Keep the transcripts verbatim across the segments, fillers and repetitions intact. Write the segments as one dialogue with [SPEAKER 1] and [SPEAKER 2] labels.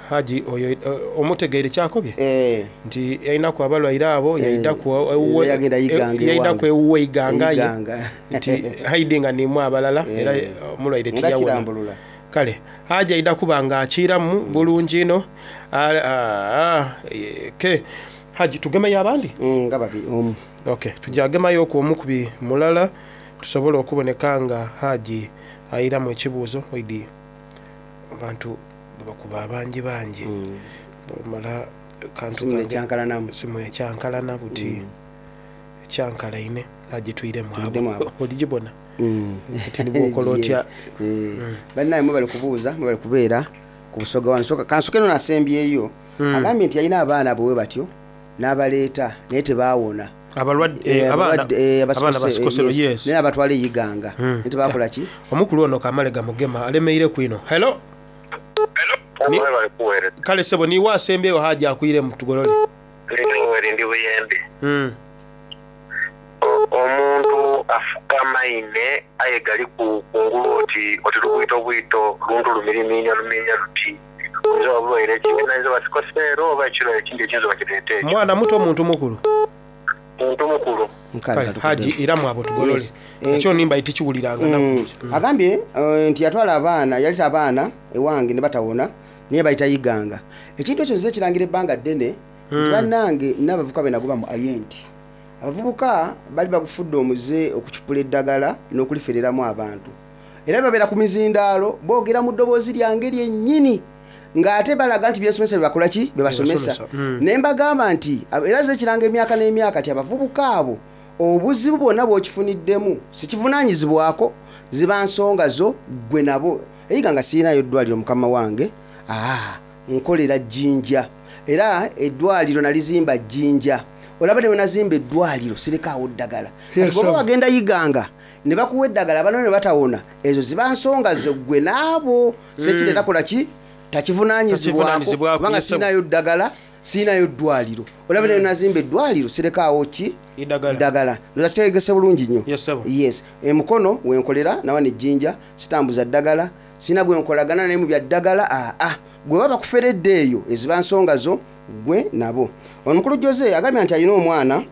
[SPEAKER 1] Haji oyo eh, omutegeire kyakobye
[SPEAKER 2] Eh,
[SPEAKER 1] nti yalinaku abalwaire abo yaidaku
[SPEAKER 2] Eh,
[SPEAKER 1] ewuwe-
[SPEAKER 2] yagenda Iganga
[SPEAKER 1] eh, yaidaku
[SPEAKER 2] ewange.
[SPEAKER 1] ewuwe Iganga ye
[SPEAKER 2] Iganga.
[SPEAKER 1] nti haidi nga nimu abalala era
[SPEAKER 2] Eh.
[SPEAKER 1] omulwaire
[SPEAKER 2] Nga
[SPEAKER 1] tiyawona.
[SPEAKER 2] kirambulula.
[SPEAKER 1] Kale haji aida kuba nga akiramu bulungi ino. Ah, ah, eh, ke haji tugemeyo abandi.
[SPEAKER 2] Mm, nga babiri omu.
[SPEAKER 1] Okay, tujagemayo okwo omukubi mulala tusobole okuboneka nga haji ayiramu ekibuuzo. Oidi abantu bakuba abangi bangi bamala kantu
[SPEAKER 2] Simu
[SPEAKER 1] kange-
[SPEAKER 2] ekyankalanamu.
[SPEAKER 1] Simu ekyankalana buti ekyankalaine. Haji twiremu
[SPEAKER 2] Twiremu
[SPEAKER 1] abo
[SPEAKER 2] abo.
[SPEAKER 1] oligibona
[SPEAKER 2] Mm.
[SPEAKER 1] nti nibwokola otya?
[SPEAKER 2] Eh, bannaye mwebale kubuuza, mwebale kubeera ku Busoga wano. Soka kansoke eno nasembyeyo. Agambye nti yalina abaana bwe batyo n'abaleeta naye tebaawona.
[SPEAKER 1] Abalwadde
[SPEAKER 2] Eh,
[SPEAKER 1] eh, abaana
[SPEAKER 2] abalwadde, eh,
[SPEAKER 1] abaana
[SPEAKER 2] abasikose,
[SPEAKER 1] basikosero
[SPEAKER 2] eh, yes.
[SPEAKER 1] yes.
[SPEAKER 2] Naye abatwala eyiganga naye tebakola ki?
[SPEAKER 1] Omukulu ono kamale gamugema alemeire kwino. Hello. Ni-
[SPEAKER 3] Mwebale kuweereza.
[SPEAKER 1] Kale sebo, niwe asembyeyo, haji akwiremu tugolole.
[SPEAKER 3] Eri ndi Buyembe.
[SPEAKER 1] Mm.
[SPEAKER 3] O- omuntu afuka maine aye gali ku kungulu oti oti lubwito bwito luntu lumiriminya luminya luti oyinza oba bulwaire ki nayinza oba sikoseero oba ekirwaire ekindi ekiyinza oba kireeta ekyo.
[SPEAKER 1] Mwana muto, omuntu mukulu?
[SPEAKER 3] Muntu mukulu.
[SPEAKER 2] Nkale,
[SPEAKER 1] Kale
[SPEAKER 2] katukudde.
[SPEAKER 1] haji iramu abo tugolole.
[SPEAKER 2] Yes. Eh,
[SPEAKER 1] Ekyo nimba tikiwuliranga naku.
[SPEAKER 2] Mm. Agambye eh, nti yatwala abaana, yaleta abaana ewange ne batawona naye bayita Yiganga. Ekintu ekyo nze kirangira ebbanga ddene nti bannange n'abavubuka be nagoba mu ayenti, abavubuka bali bagufudde omuze okucupula eddagala n'okulifereramu abantu, era babeera ku mizindaalo boogera mu ddoboozi lyange lyennyini ng'ate balaga nti byensomesa byebakola ki bebasomesa.
[SPEAKER 1] Bebasomesa, mm.
[SPEAKER 2] Ne mbagamba nti ab- era ze kiranga emyaka n'emyaka ti abavubuka abo obuzibu bwonna bw'okifuniddemu sikivunaanyizibwako, ziba nsonga zo gwe nabo. Eyiga nga siinayo eddwaliro mukama wange, aa nkolera Jjinja, era eddwaliro nalizimba Jjinja. Olaba newe nazimba eddwaliro sirekaawo ddagala. Kati bw'oba wagenda Yiganga ne bakuwa eddagala bano ne batawona, ezo ziba nsonga zo gwe naabo. Sekireeta kola ki takivunaanyizibwako
[SPEAKER 1] Takivunaanyizibwako,
[SPEAKER 2] kubanga
[SPEAKER 1] yes, sir.
[SPEAKER 2] siinayo ddagala, siinayo ddwaliro. Olaba newe nazimba eddwaliro sirekaawo ki?
[SPEAKER 1] Eddagala.
[SPEAKER 2] Ddagala. Ndoza kitegese bulungi nnyo.
[SPEAKER 1] Yes, sir.
[SPEAKER 2] Yes, emukono wenkolera nawa nejjinja sitambuza ddagala, sina gwe nkolagana naye mu bya ddagala. Aa gwe baba bakuferedde eyo eziba nsonga zo gwe nabo. Ono mukulu Jose agambye nti alina omwana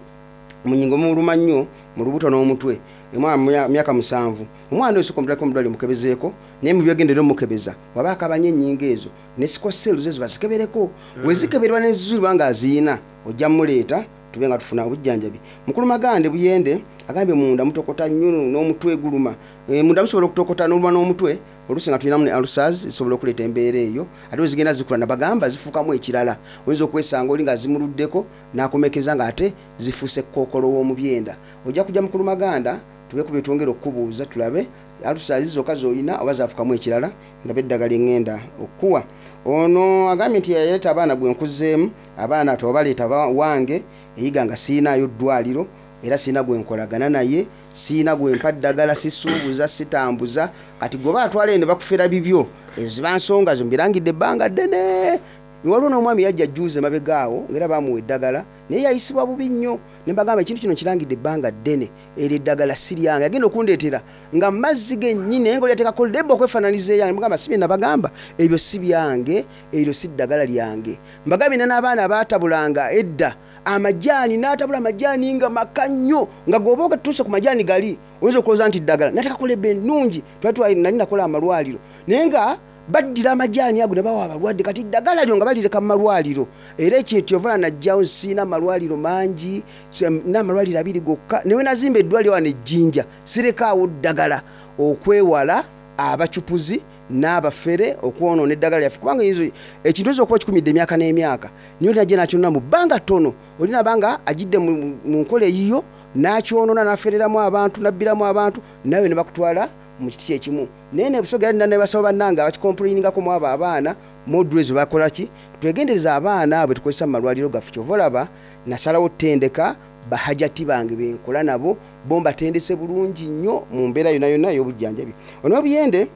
[SPEAKER 2] munyingo muluma nnyo mu lubuto n'omutwe, omwana mu myaka musanvu. Omwana oyo sokomutulako omudwaliro mukebezeeko, naye mubyegendere omukebeza waba akabanye ennyingo ezo ne sickle ezo bazikebereko. Wezikeberwa nezizuulibwa ng'aziyina ojja muleeta tube nga tufuna obujjanjabi. Mukulu Magande Buyende agambye munda mutokota nnyo n'omutwe guluma. E, munda musobola okutokota n'oluma n'omutwe, oluusi nga tulinamu ne ulcers zisobola okuleeta embeera eyo. Ate bwe zigenda zikula nabagamba zifuukamu ekirala, oyinza okwesanga oli nga zimuluddeko n'akomekeza ng'ate zifuuse kookolo w'omu byenda. Ojja kujja mukulu Maganda tube ku byetwongera okukubuuza tulabe ulcers zokka z'olina oba zafuukamu ekirala, ndabe eddagala eŋŋenda okukuwa. Ono agambye nti yaleeta abaana gwe nkuzeemu abaana tewabaleeta ba- wange eyiga nga siinayo ddwaliro, era siina gwe nkolagana naye, siina gwe mpa ddagala, sisuubuza, sitambuza. Kati gwe baatwala eno bakufera bibyo, ezo ziba nsonga zo mbirangidde ebbanga ddene. Waliwo n'omwami yajja jjuuzi emabega awo ngaera bamuwa eddagala naye yayisibwa bubi nnyo, ne mbagamba ekintu kino kirangidde ebbanga ddene, eryo eddagala si lyange. Agenda okundeetera nga mazzi gennyini naye nga olyateekako lebo okwefaananiza eyange. Mugamba si bye nabagamba, ebyo si byange, eryo si ddagala lyange. Mbagambye nina n'abaana abaatabulanga edda amajaani, n'atabula amajaani nga maka nnyo nga gwoba otuuse ku majaani gali oyinza okulowooza nti ddagala, nateekako lebo ennungi. Twali twali- nali nakola amalwaliro naye nga baddira amajaani ago ne bawa abalwadde, kati ddagala lyo nga balireka mu malwaliro. Era ekintu kyovala najjawo siina amalwaliro mangi, n'amalwaliro abiri gokka. Newe nazimba eddwaliro wano ejjinja sirekaawo ddagala okwewala abacupuzi n'abafere okwonoona eddagala lyaffe, kubanga eyinza- ekintu oyinza okuba kikumidde emyaka n'emyaka naye oli najja nakyonona mu bbanga ttono, olina banga agidde mu mu nkola eyiyo n'akyonoona n'afereramu abantu n'abbiramu abantu nawe ne bakutwala mu kiti kyekimu. Naye nebusoga era nina ne basawo bannange abakikomplainingako mu abo abaana modres bakola ki. Twegendereza abaana abo tukozesa mu malwaliro gaffe. Kyova olaba nasalawo ttendeka bahajati bange benkola nabo, bo mbatendese bulungi nnyo mu mbeera yonna yonna ey'obujjanjabi. Ono Buyende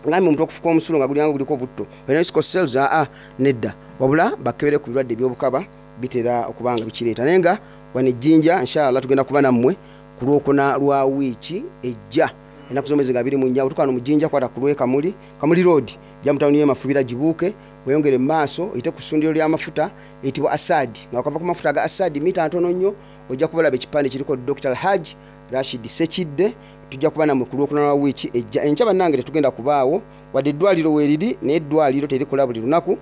[SPEAKER 2] ngambye omuntu okufuka omusulo nga gulyanga guliko butto olina sickle cells? Aa nedda, wabula bakebere ku birwadde ebyobukaba bitera okuba nga bikireeta. Naye nga wano ejjinja inshallah tugenda kuba nammwe ku lwokuna lwa wiiki ejja, ennaku z'omwezi nga abiri mu nnya. Otukano mu Jjinja kwata ku lwe Kamuli, Kamuli Road, jja mu tawuni y'e Mafubira gibuuke. Weyongere mu maaso oyite ku ssundiro ly'amafuta eyitibwa Asad. Nga wakava ku mafuta aga Asad mita ntono nnyo, ojja kubalaba ekipande kiriko Doctor Alhaj Rashid Sekidde. Tujja kuba nammwe ku lwokuna lwa wiiki ejja. Enkya bannange tetugenda kubaawo, wadde eddwaliro weeriri, naye eddwaliro terikola buli lunaku.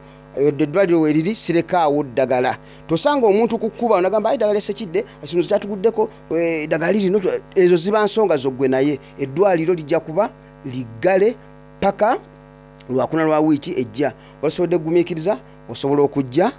[SPEAKER 2] Wadde eddwaliro weeriri, sirekaawo ddagala. Tosanga omuntu ku kkuba onagamba ayi eddagala Sekidde ekimuzo kyatuguddeko, eh, eddagala lirino. Ezo ziba nsonga zoggwe, naye eddwaliro lijja kuba liggale paka lwakuna lwa wiiki ejja. Walisobodde kugumiikiriza, osobola okujja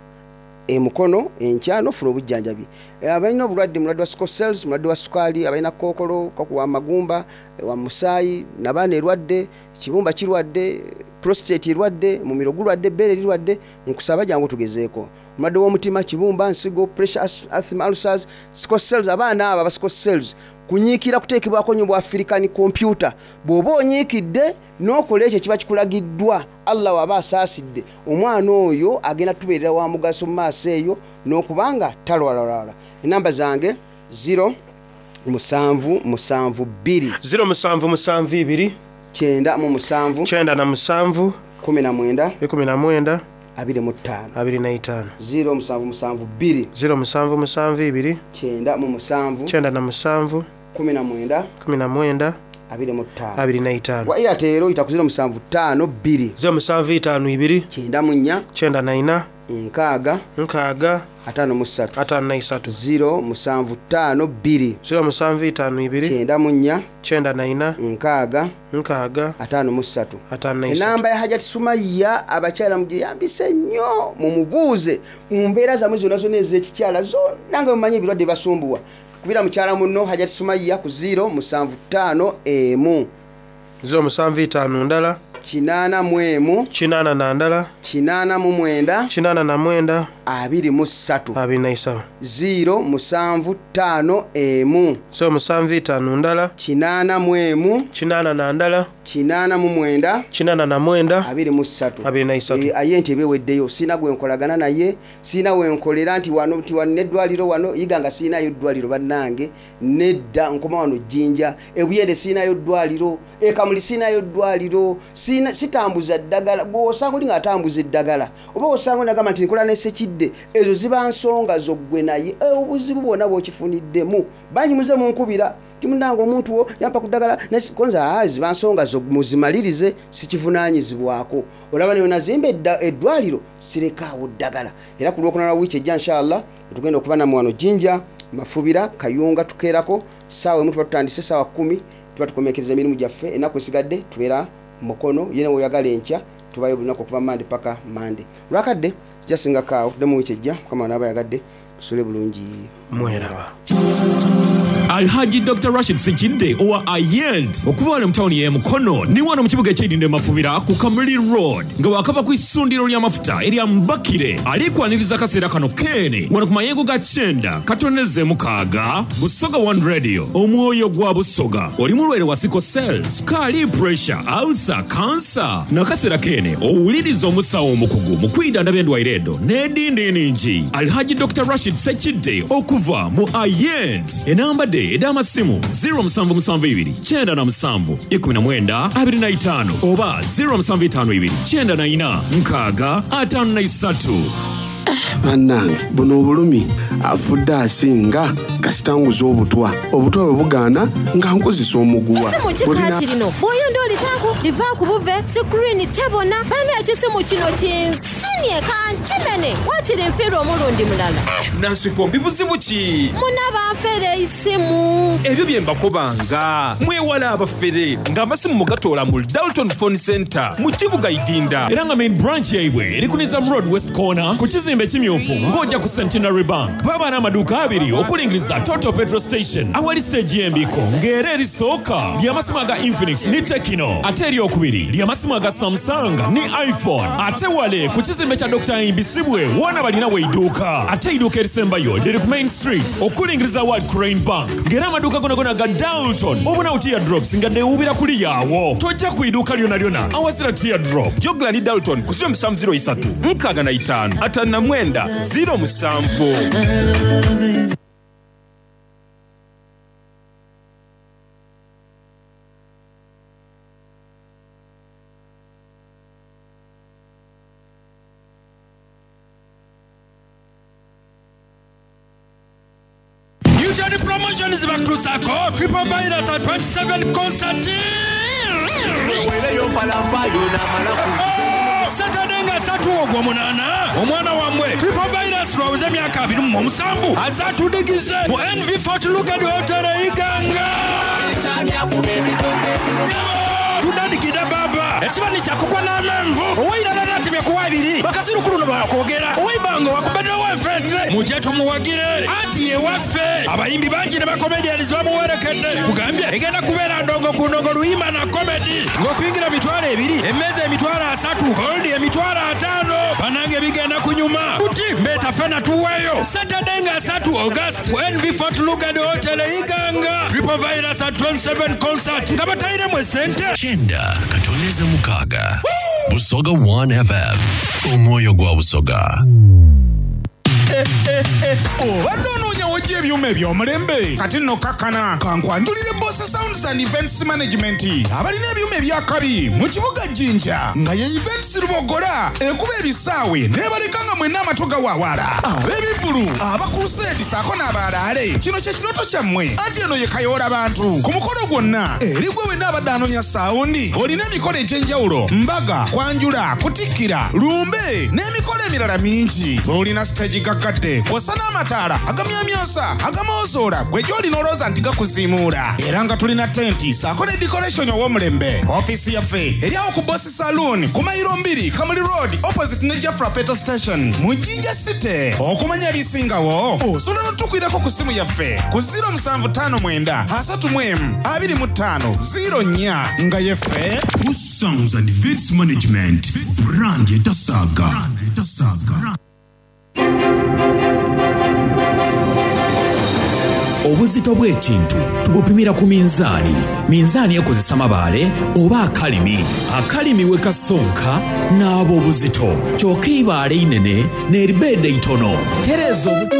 [SPEAKER 2] emukono enkya nofuna obujjanjabi. Abalina obulwadde, mulwadde wa sickle cells, mulwadde wa sukaali, abalina kookolo wa magumba, wa musaayi, nabaana erwadde, kibumba kirwadde, prostate erwadde, mumiro gulwadde, ebbeere lirwadde, nkusaba jangu tugezeeko. Omulwadde w'omutima, kibumba, nsigo, pressure, asthma, ulcers, sickle cells, abaana abo aba sickle cells, kunyiikira kuteekebwako nnyo bwa African computer. Bw'oba onyiikidde n'okola ekyo kiba kikulagiddwa, Allah waba asaasidde omwana oyo agenda tubeerera wa mugaso mu maaso eyo n'okubanga talwalalwala. Enamba zange zero musanvu musanvu bbiri
[SPEAKER 1] zero musanvu musanvu ibiri
[SPEAKER 2] kyenda mu musanvu
[SPEAKER 1] kyenda na musanvu
[SPEAKER 2] kumi na mwenda
[SPEAKER 1] ikumi na mwenda
[SPEAKER 2] abiri mu ttaano
[SPEAKER 1] abiri na itaano
[SPEAKER 2] zero musanvu musanvu bbiri
[SPEAKER 1] zero musanvu musanvu ibiri
[SPEAKER 2] kyenda mu musanvu
[SPEAKER 1] kyenda na musanvu
[SPEAKER 2] kumi na mwenda
[SPEAKER 1] kumi na mwenda
[SPEAKER 2] abiri mu ttaano
[SPEAKER 1] abiri na itaano.
[SPEAKER 2] Wa Airtel oyita ku zero musanvu ttaano bbiri
[SPEAKER 1] zero musanvu itaano ibiri
[SPEAKER 2] kyenda mu nnya
[SPEAKER 1] kyenda na ina
[SPEAKER 2] nkaaga
[SPEAKER 1] nkaaga
[SPEAKER 2] ataano mu ssatu
[SPEAKER 1] ataano na isatu
[SPEAKER 2] zero musanvu ttaano bbiri
[SPEAKER 1] zero musanvu itaano ibiri
[SPEAKER 2] kyenda mu nnya
[SPEAKER 1] kyenda na ina
[SPEAKER 2] nkaaga
[SPEAKER 1] nkaaga
[SPEAKER 2] ataano mu ssatu
[SPEAKER 1] ataano na isatu.
[SPEAKER 2] Enamba ya Hajati Sumayya, abakyala mugyeyambise nnyo, mumubuuze mu mbeera zammwe zonna zonna ez'ekikyala zonna nga mumanyi ebirwadde basumbuwa. Kubira mukyala munno Hajati Sumayya ku zero musanvu ttaano emu
[SPEAKER 1] zero musanvu itaano ndala
[SPEAKER 2] kinaana mu emu
[SPEAKER 1] kinaana na ndala
[SPEAKER 2] kinaana mu mwenda
[SPEAKER 1] kinaana na mwenda
[SPEAKER 2] abiri mu ssatu
[SPEAKER 1] abiri na isatu
[SPEAKER 2] zero musanvu ttaano emu
[SPEAKER 1] zero musanvu itaano ndala
[SPEAKER 2] kinaana mu emu
[SPEAKER 1] kinaana na ndala
[SPEAKER 2] kinaana mu mwenda
[SPEAKER 1] kinaana na mwenda
[SPEAKER 2] abiri mu ssatu
[SPEAKER 1] abiri na isatu.
[SPEAKER 2] Eh, aye nti eba eweddeyo. Siina gwe nkolagana naye, siina wenkolera nti wano nti wano n'eddwaliro wano yiga nga siinayo ddwaliro bannange, nedda nkoma wano Jjinja, ebuyende siinayo ddwaliro, ekamuli siinayo ddwaliro, siina sitambuza ddagala. Bw'osanga oli ng'atambuza eddagala oba osanga oli nagamba nti nkola ne Sekidde, ezo ziba nsonga zo ggwe naye. Eh, obuzibu bwonna bw'okifuniddemu bangi muze munkubira nti munnange omuntu wo yampa ku ddagala konza, aa ziba nsonga zo muzimalirize, sikivunaanyizibwako. Olaba neyo nazimba eddwaliro sirekaawo ddagala. Era ku lwokuna lwa wiiki ejja inshallah tugenda okuba nammwe wano Jjinja, Mafubira, Kayunga, tukeerako ssaawa emu tuba tutandise, ssaawa kkumi tuba tukomekereza emirimu gyaffe. Ennaku esigadde tubeera mukono yene woyagala enkya tubayo buli lunaku okuva Mande paka Mande. Lwakadde kijasingako awo tuddemu wiiki ejja, Mukama wanaaba ayagadde. Tusule bulungi.
[SPEAKER 1] Mweraba.
[SPEAKER 4] Alhaji Doctor Rashid Sekidde owa Ayent okuva wano mu tawuni y'e Mukono ni wano mu kibuga eky'Eidinda Mafubira ku Kamuli Road nga wakava ku issundiro ly'amafuta erya Mbakire alikwaniriza akaseera kano keene wano ku mayengo ga kyenda katoneze mukaaga Busoga One Radio, omwoyo gwa Busoga. Oli mulwaire wa sickle cell, sukaali, pressure, ulcer, cancer, n'akaseera keene owuliriza omusawo omukugu mu kwidandaba endwaire edo n'edindi ningi, Alhaji Doctor Rashid Sekidde okuva mu Ayent. Enamba de ed'amasimu zero musanvu musanvu ibiri kyenda na musanvu ikumi na mwenda abiri na itaano oba zero musanvu itaano ibiri kyenda na ina nkaaga ataano na isatu.
[SPEAKER 5] Bannange, buno obulumi afudde asinga kasitanguza obutwa, obutwa bwe bugaana nga nkozesa omuguwa.
[SPEAKER 6] Esimu kikaati lino bw'oyonda olitaku livaaku buve screen tebona. Bana, ekisimu kino kinsinye kankimene, wakiri nfiirwa omulundi mulala.
[SPEAKER 7] Nansikombi, buzibu ki?
[SPEAKER 6] Muna banfere isimu.
[SPEAKER 7] Ebyo bye mbakobanga, mwewala abafere ng'amasimu mugatoola mu Dalton Phone Center mu kibuga Idinda.
[SPEAKER 4] Era nga main branch yaibwe eri ku Nizam Road West Corner ku kizimbe ekimyufu ng'ojja ku Centenary Bank. Baba n'amaduuka abiri okulingiriza Total Petrol Station awali stage y'embiko, ng'era erisooka ly'amasimu aga Infinix ne Tecno, ate eryokubiri ly'amasimu aga Samsung ne iPhone. Ate wale ku kizimbe kya Doctor Imbisibwe wona balina weidduuka, ate eidduuka erisembayo liri ku Main Street okulingiriza World Crane Bank, ng'era amaduuka gonagona ga Dalton obunawo teardrops nga newubira kuli yaawo. Tojja ku idduuka lyona lyona awazira teardrop.
[SPEAKER 7] Jogla ni Dalton ku zero musanvu zero isatu nkaaga na itaano ataano na mwenda zero musanvu.
[SPEAKER 8] Junction Promotions bakutuusaako Triple Virus at twenty-seven concert. Saturday nga ssatu ogw'omunaana omwana wammwe Triple Virus lwaweze emyaka abiri mu omusanvu azatudigize mu N V Fort Lugard Hotel e Iganga. Tudandikidde baba ekibani kyakukwa n'amenvu owairala natemye kuwa ebiri bakazirukulu no bakwogera owaibanga wakubedde ow'enfente mujje tumuwagire anti ye waffe abayimbi bangi ne bakomedians bamuwerekedde kugambye egenda kubeera ndongo ku ndongo luyimba na komedi ng'okuyingira mitwalo ebiri emmeeza emitwalo asatu goldi emitwalo ataano banange bigenda kunyuma kuti mbeeta ffena tuweeyo Saturday nga asatu August ku N V Fort Lugard Hotel e Iganga Triple Virus at twenty-seven concert nga batayiremu esente.
[SPEAKER 9] Chenda Katoneza Mukaga Busoga one F M Omwoyo gwa Busoga.
[SPEAKER 10] Obadde onoonya w'oggya ebyuma eby'omulembe kati nno kakkana kankwanjulire Boss Sounds and Events Management abalina ebyuma ebyakabi mu kibuga Jinja nga ye Events Lubogola ekuba ebisaawe n'ebaleka nga mwenna amatu gawaawala ab'ebivvulu abakuruseedi ssaako n'abalaale kino kye kirooto kyammwe anti eno ye kayoola bantu ku mukolo gwonna eri gwe wenna abadde anoonya saawundi olina emikolo egy'enjawulo mbaga kwanjula kutikkira lumbe n'emikolo emirala mingi tulina siteegi gaggadde kw'ossa n'amataala agamyamyansa agamoozola gwe gy'olina olowooza nti gakuziimuula era nga tulina tenti ssaako ne decoration ow'omulembe ofiisi yaffe eri awo ku Boss Saloon ku mayiro mbiri Kamuli Road opposite ne Jafra Petrol Station mu Jinja City okumanya ebisingawo osobola n'otukwirako ku ssimu yaffe ku zero musanvu ttaano mwenda asatu mu emu abiri mu ttaano zero nnya nga yeffe
[SPEAKER 11] Boss Sounds and Events Management brand etasaga.
[SPEAKER 4] Obuzito bw'ekintu tubupimira ku minzaani. Minzaani ekozesa mabaale oba akalimi. Akalimi we kasonka n'aba obuzito. Kyokka eibaale inene n'eribeeda itono. Tereeza obu-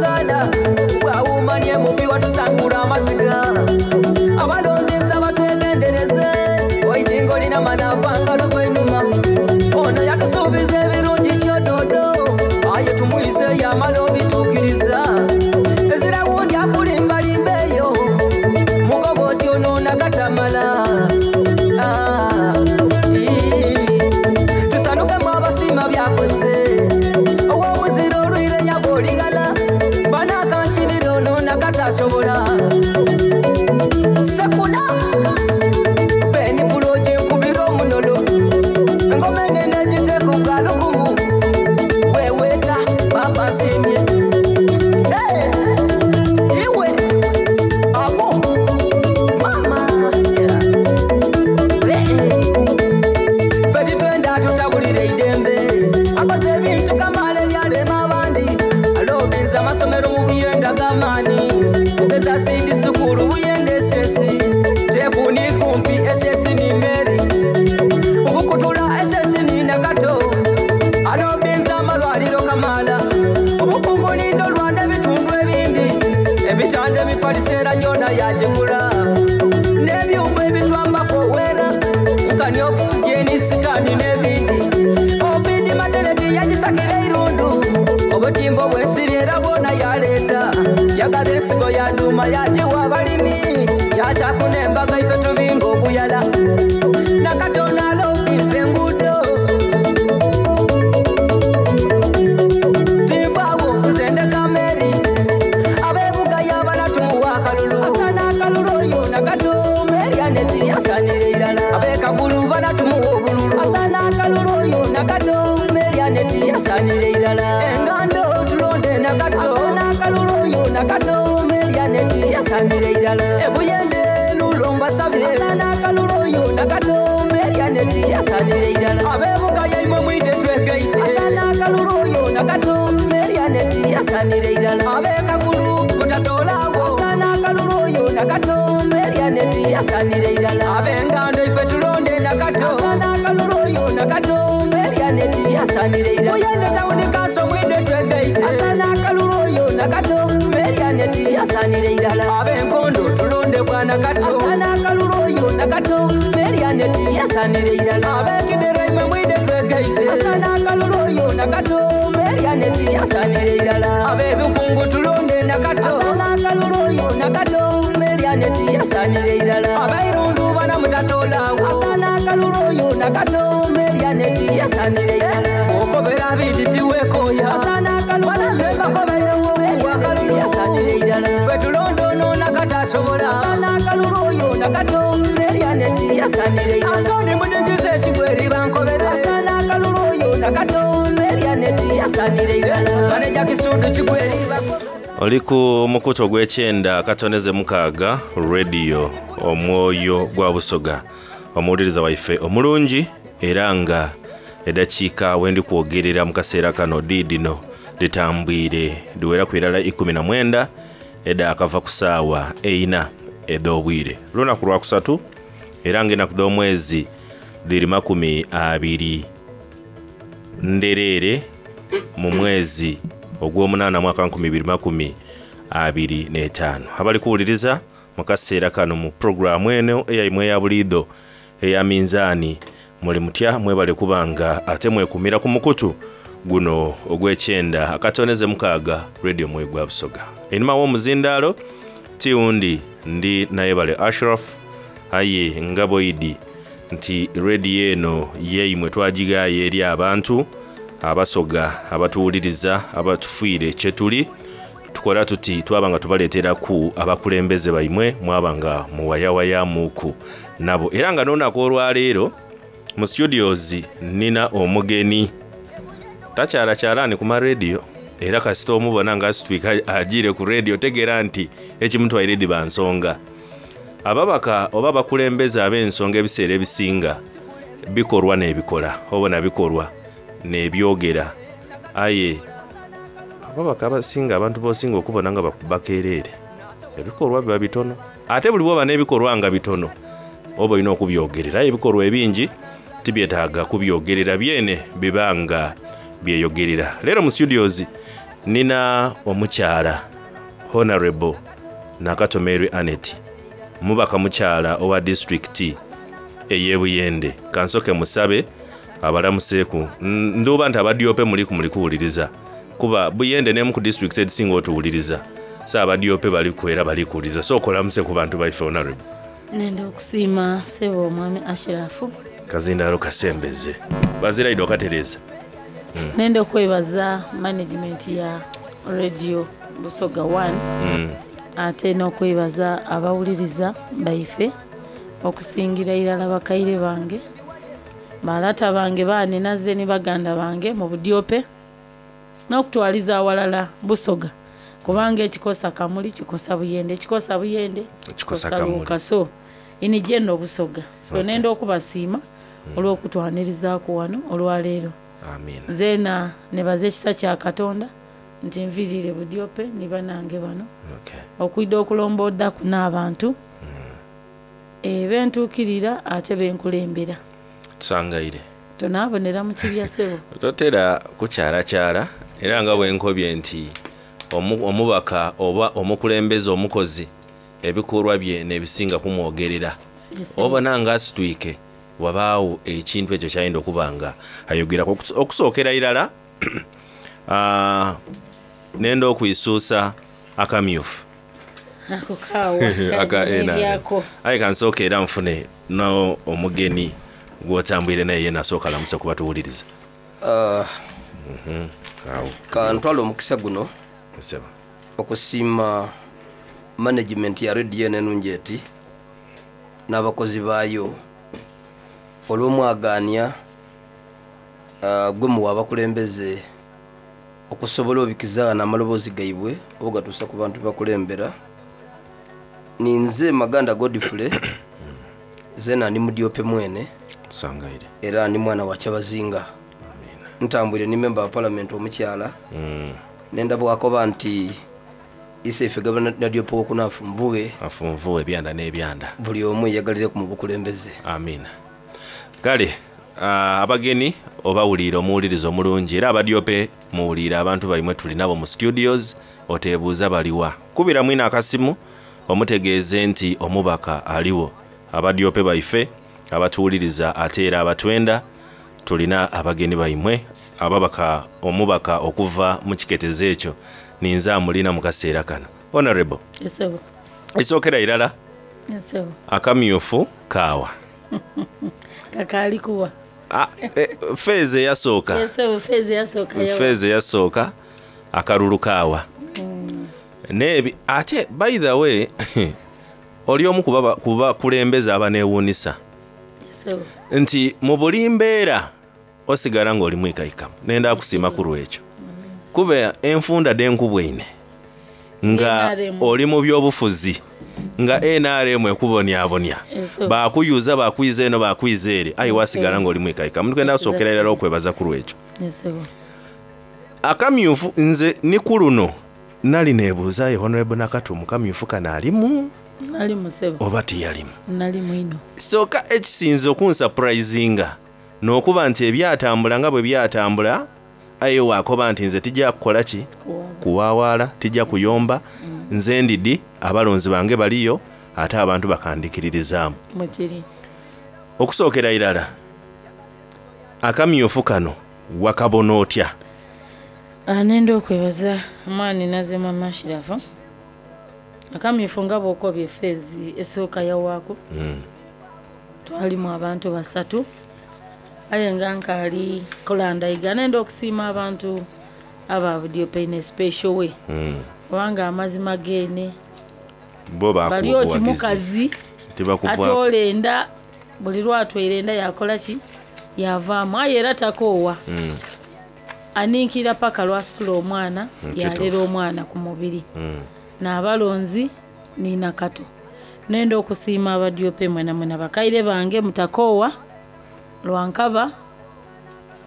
[SPEAKER 12] Wangala bwawumanye mubi watusangula amaziga abalonzi nsaba twegendereze oidingo lina manafanga luvainuma ono yatusuubiza ebirungi kyododo aye tumuyise yamala obituukiriza ezira wundi akulimbalimba eyo mugoba oti ono nakatamala Ah, ii. Tusanukemu abasiima byakoze ow'omuzira olwire nyaba oligala banakankirira ono nakatasobola sekula beni bulogi nkubira omunolo engoma enene egiteeka obwalukumu weweeta papa nsiimye Hey! Iwe awo mama Yeah. Ffe titwenda tutabulira eidembe akoze ebintu kamaala ebyalema abandi alobinza amasomero mu buyenda g'amaani mugeza sindi sukulu buyenda esesi tekuni kumpi esesi ni meri obukutula esesi ni nakato alobinza amalwaliro kamaala obukungu nindo lwanda ebitundu ebindi ebitanda ebifaliseera gyona yagigula n'ebyuma ebitwambako owera nkani okisigeni sikani n'ebindi obidi mateneti yagisakira eirundu obutimbo bwensiri era bwona yaleeta yagaba ensigo yaduuma yagiwa abalimi yataku n'embaga ife tubinga oguyala nakatonda alobinza enguudo tinvaawo nze ndeka meri abebuga yabala tumuwa akalulu asana akalulu oyo nakato meri aneti asanira irala abekagulu bana tumuwa obululu asana akalulu oyo nakato meri aneti asanira irala engando tulonde nakato asana akalulu oyo nakato meri aneti asanira irala ebuyende lulomba sabye asana akalulu oyo nakato meri aneti asanira irala abebuga yaimwe mwide twegeite asana akalulu oyo nakato meri aneti asanira irala abekagulu mutatolawo asana akalulu oyo nakato meri aneti asanira irala abengando ife tulonde nakato asana akalulu oyo nakato meri aneti asanira irala oyende tawuni kanso mwide twegeite asana akalulu oyo nakato meri aneti asanira irala abenkondo tulonde bwana kato asana akalulu oyo nakato meri aneti asanira irala abekidera imwe mwide twegeite asana akalulu oyo nakato meri aneti asanira irala abebikungu tulonde nakato asana akalulu oyo nakato meri aneti asanira irala abairundu bana mutatolawo asana akalulu oyo nakato meri aneti asanira irala okobera biditiwekoya asana akalulu asanira irala ffe tulonde ono nakatasobola asana akalulu oyo nakato meri aneti asanira irala asoni mudigize ekigweri bankobere asana akalulu oyo nakato meri aneti asanira irala maneja kisundu kigweri bankobere
[SPEAKER 13] Oli ku mukutu ogw'ekyenda akatoneze mukaaga radio omwoyo gwa Busoga omuwuliriza waife omulungi era nga eddakiika wendi kwogerera mu kaseera kano diidino ditambwire diweraku irala ikumi na mwenda edda akava ku ssaawa eina edh'obwire lunaku lwakusatu era nga enaku dh'omwezi dhiri makumi abiri ndereere mu mwezi ogw'omunaana mwaka nkumi ibiri makumi abiri n'etaano abali kuwuliriza mu kaseera kano mu puroguramu eno eyaimwe eya buliido eya minzaani muli mutya mwebale kubanga ate mwekumira ku mukutu guno ogw'ekyenda akatoneze mukaaga radio mwoyo gwa Busoga einhuma w'omuzindaalo tiwundi ndi nayebale Ashraf aye nga bwoidi nti rediyo eno yeimwe twagigayo eri abantu abasoga abatuwuliriza abatufiire kyetuli tukola tuti twaba nga tubaleeteraku abakulembeze baimwe mwaba nga muwayawayamuku nabo era nga n'olunaku olwaleero mu studios nina omugeni takyalakyalaani ku marediyo era kasita omubona nga asitwika agiire ku rediyo tegeera nti ekimutwaire diba nsonga ababaka oba abakulembeze ab'ensonga ebiseera ebisinga bikolwa n'ebikola obona bikolwa n'ebyogera aye ababaka abasinga abantu bosinga okubona nga bakeereere ebikolwa biba bitono ate buli bwoba n'ebikolwa nga bitono oba olina okubyogerera aye ebikolwa ebingi tibyetaaga kubyogerera byene bibanga byeyogerera leero mu studios Nina omukyala Honorable Nakato Mary Annet, mubaka mukyala owa disitulikiti ey'e Buyende. Kansoke musabe abalamuseeku. N- Nduuba nti abadyope muliku muli kuwuliriza, kuba Buyende n'emu ku disitulikiti ezisinga otuwuliriza, so abadyope baliku era bali kuwuliriza. Sooka olamuse ku bantu baife, Honorable.
[SPEAKER 14] Nenda okusiima sebo omwami Ashirafu.
[SPEAKER 13] Kazindaalo kasembeze baziraidde okatereeza.
[SPEAKER 14] Nenda okwebaza management ya Radio Busoga one,
[SPEAKER 13] Mm.
[SPEAKER 14] ate n'okwebaza abawuliriza baife, okusingira irala bakaire bange, balata bange, baninaze ni baganda bange mu Budyope n'okutwaliza awalala Busoga, kubanga ekikosa Kamuli kikosa Buyende, ekikosa Buyende
[SPEAKER 13] kikosa Kamuli.
[SPEAKER 14] Luuka, so ini jeno Busoga so
[SPEAKER 13] Okay.
[SPEAKER 14] nenda okubasiima olw'okutwanirizaaku wano olwaleero.
[SPEAKER 13] Amiina.
[SPEAKER 14] Zeena nebaza ekisa kya Katonda nti nviirire Budyope ni banange bano
[SPEAKER 13] Okay.
[SPEAKER 14] okwidda okulomboddaku n'abantu e, bentuukirira ate benkulembera.
[SPEAKER 13] Tusangaire.
[SPEAKER 14] Tonaabonera mu kibya, ssebo.
[SPEAKER 13] Totera kukyalakyala, era nga bwenkobye nti omu- omubaka oba omukulembeze omukozi, ebikolwa bye nebisinga kumwogerera.
[SPEAKER 14] Yes, sir.
[SPEAKER 13] Obona nga asitwike wabaawo ekintu ekyo kyayinda okuba nga ayogerako. Okuso- okusookera irala, ah, nenda okwisuusa akamyufu
[SPEAKER 14] ako kaawa
[SPEAKER 13] aka N R M.
[SPEAKER 14] nebyako.
[SPEAKER 13] Aye kansooka era nfune no omugeni gwotambwire naye, ye nasooka alamuse kuba tuwuliriza.
[SPEAKER 15] Ah,
[SPEAKER 13] Mhm, awo.
[SPEAKER 15] Kantwala omukisa guno
[SPEAKER 13] Nsaba.
[SPEAKER 15] okusiima management ya rediyo eno enungi eti n'abakozi baayo olw'omwagaanya ah, gwe muwa abakulembeze okusobola obikizaana amaloboozi gaibwe oba gatuusa ku bantu bakulembera. Ninze Maganda Godfrey, zena ndi mudyope mwene.
[SPEAKER 13] Tusangaire.
[SPEAKER 15] Era ndi mwana wa Kyabazinga, ntambwire ni memba wa parliament omukyala.
[SPEAKER 13] Mm.
[SPEAKER 15] Nendabwakoba nti iseife gavana nadyope wokunaafu nvuwe.
[SPEAKER 13] Afunvuwe ebyanda n'ebyanda.
[SPEAKER 15] Buli omu yeyagalireko mu bukulembeze.
[SPEAKER 13] Amiina. Kale, ah, abagenyi obawuliire, omuwuliriza omulungi, era abadyope muwuliire abantu baimwe tuli nabo mu studios. Oteebuuza baliwa, kubira mwina akasimu omutegeeze nti omubaka aliwo. Abadyope baife abatuwuliriza ate era abatwenda, tulina abagenyi baimwe ababaka, omubaka okuva mu kiketezo ekyo ninze amulina mu kaseera kano, Honorable.
[SPEAKER 14] Esebo.
[SPEAKER 13] Esookera irala,
[SPEAKER 14] Esebo.
[SPEAKER 13] akamyufu kaawa?
[SPEAKER 14] Kakaali kuwa.
[SPEAKER 13] Ah, eh, feeza eyasooka.
[SPEAKER 14] Esebo, feezi yasooka yawa.
[SPEAKER 13] Feeza eyasooka akalulu kaawa?
[SPEAKER 14] Mm.
[SPEAKER 13] Nebi ate, by the way, oli omu ku kubakulembeza abaneewuunisa
[SPEAKER 14] Esebo.
[SPEAKER 13] nti mu buli mbeera osigala ng'oli mwikaikamu. Nenda kusiima ku lwekyo, kuba enfunda denkubwaine nga
[SPEAKER 14] N R M.
[SPEAKER 13] oli mu byobufuzi nga N R M ekubonyabonya,
[SPEAKER 14] Esebo.
[SPEAKER 13] bakuyuza, bakwiza eno, bakwiza ere, aye wasigala ng'oli mwikaikamu. Tugenda kusookera irala okwebaza ku lwekyo.
[SPEAKER 14] Esebo.
[SPEAKER 13] Akamyufu nze ni ku luno nali neebuuza, ye Honorable Nakato mu kamyufu kano alimu
[SPEAKER 14] Nali musebo.
[SPEAKER 13] oba teyalimu?
[SPEAKER 14] Nali mwino.
[SPEAKER 13] Sooka ekisinze okunsapurayizinga n'okuba nti ebyatambula nga bwe byatambula, aye waakoba nti nze tijja kukola ki, kuwaawaala, tijja kuyomba, nze ndidi abalonzi bange baliyo ate abantu bakandikiririzaamu.
[SPEAKER 14] Mukiri.
[SPEAKER 13] Okusookera irala, akamyufu kano wakabona otya?
[SPEAKER 14] Ah, nenda okwebaza omwani nazima mashirafu. Akamyufu nga bwokobye, feezi esooka yawaako,
[SPEAKER 13] Mm.
[SPEAKER 14] twalimu abantu basatu, aye nga nkaali kulandayiga, nenda okusiima abantu aba Budyope in a special way,
[SPEAKER 13] Mm.
[SPEAKER 14] kubanga amazima geene
[SPEAKER 13] bo
[SPEAKER 14] bali oti
[SPEAKER 13] bakuwa
[SPEAKER 14] mukazi
[SPEAKER 13] tibakuvaako.
[SPEAKER 14] atoola enda, buli lwatwaire enda yakola ki, yavaamu, aye era takoowa,
[SPEAKER 13] Mm.
[SPEAKER 14] aninkira paka lwasitula omwana,
[SPEAKER 13] Mm,
[SPEAKER 14] yalera
[SPEAKER 13] kituufu.
[SPEAKER 14] omwana ku mubiri
[SPEAKER 13] Mm.
[SPEAKER 14] n'abalonzi nina Kato. Nenda okusiima abadyope mwena mwena, bakaire bange, mutakoowa lwankaba,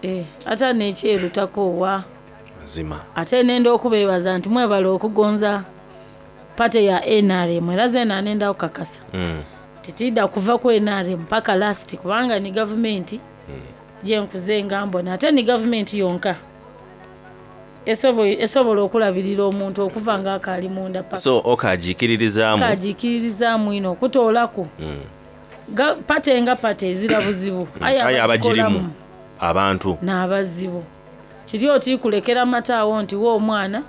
[SPEAKER 14] eh, ate nekyeru takoowa.
[SPEAKER 13] Mazima.
[SPEAKER 14] Ate nenda okubeebaza nti mwebala okugonza pate ya N R M, era zena nenda okukakasa
[SPEAKER 13] Mm.
[SPEAKER 14] titidda kuva ku N R M paka last, kubanga ni gavumenti gyenkuze nga mbona, ate ni gavumenti yonka esobo- esobola okulabirira omuntu okuva nga akaali munda paka
[SPEAKER 13] So okagikiririzaamu.
[SPEAKER 14] Kagikiririzaamu ino okutoolaku
[SPEAKER 13] Mm.
[SPEAKER 14] Ga- pate nga pate ezira buzibu.
[SPEAKER 13] Aye abagirimu
[SPEAKER 14] abagikolamu
[SPEAKER 13] abantu
[SPEAKER 14] n'abazibu kiri oti kulekera mata awo nti wa omwana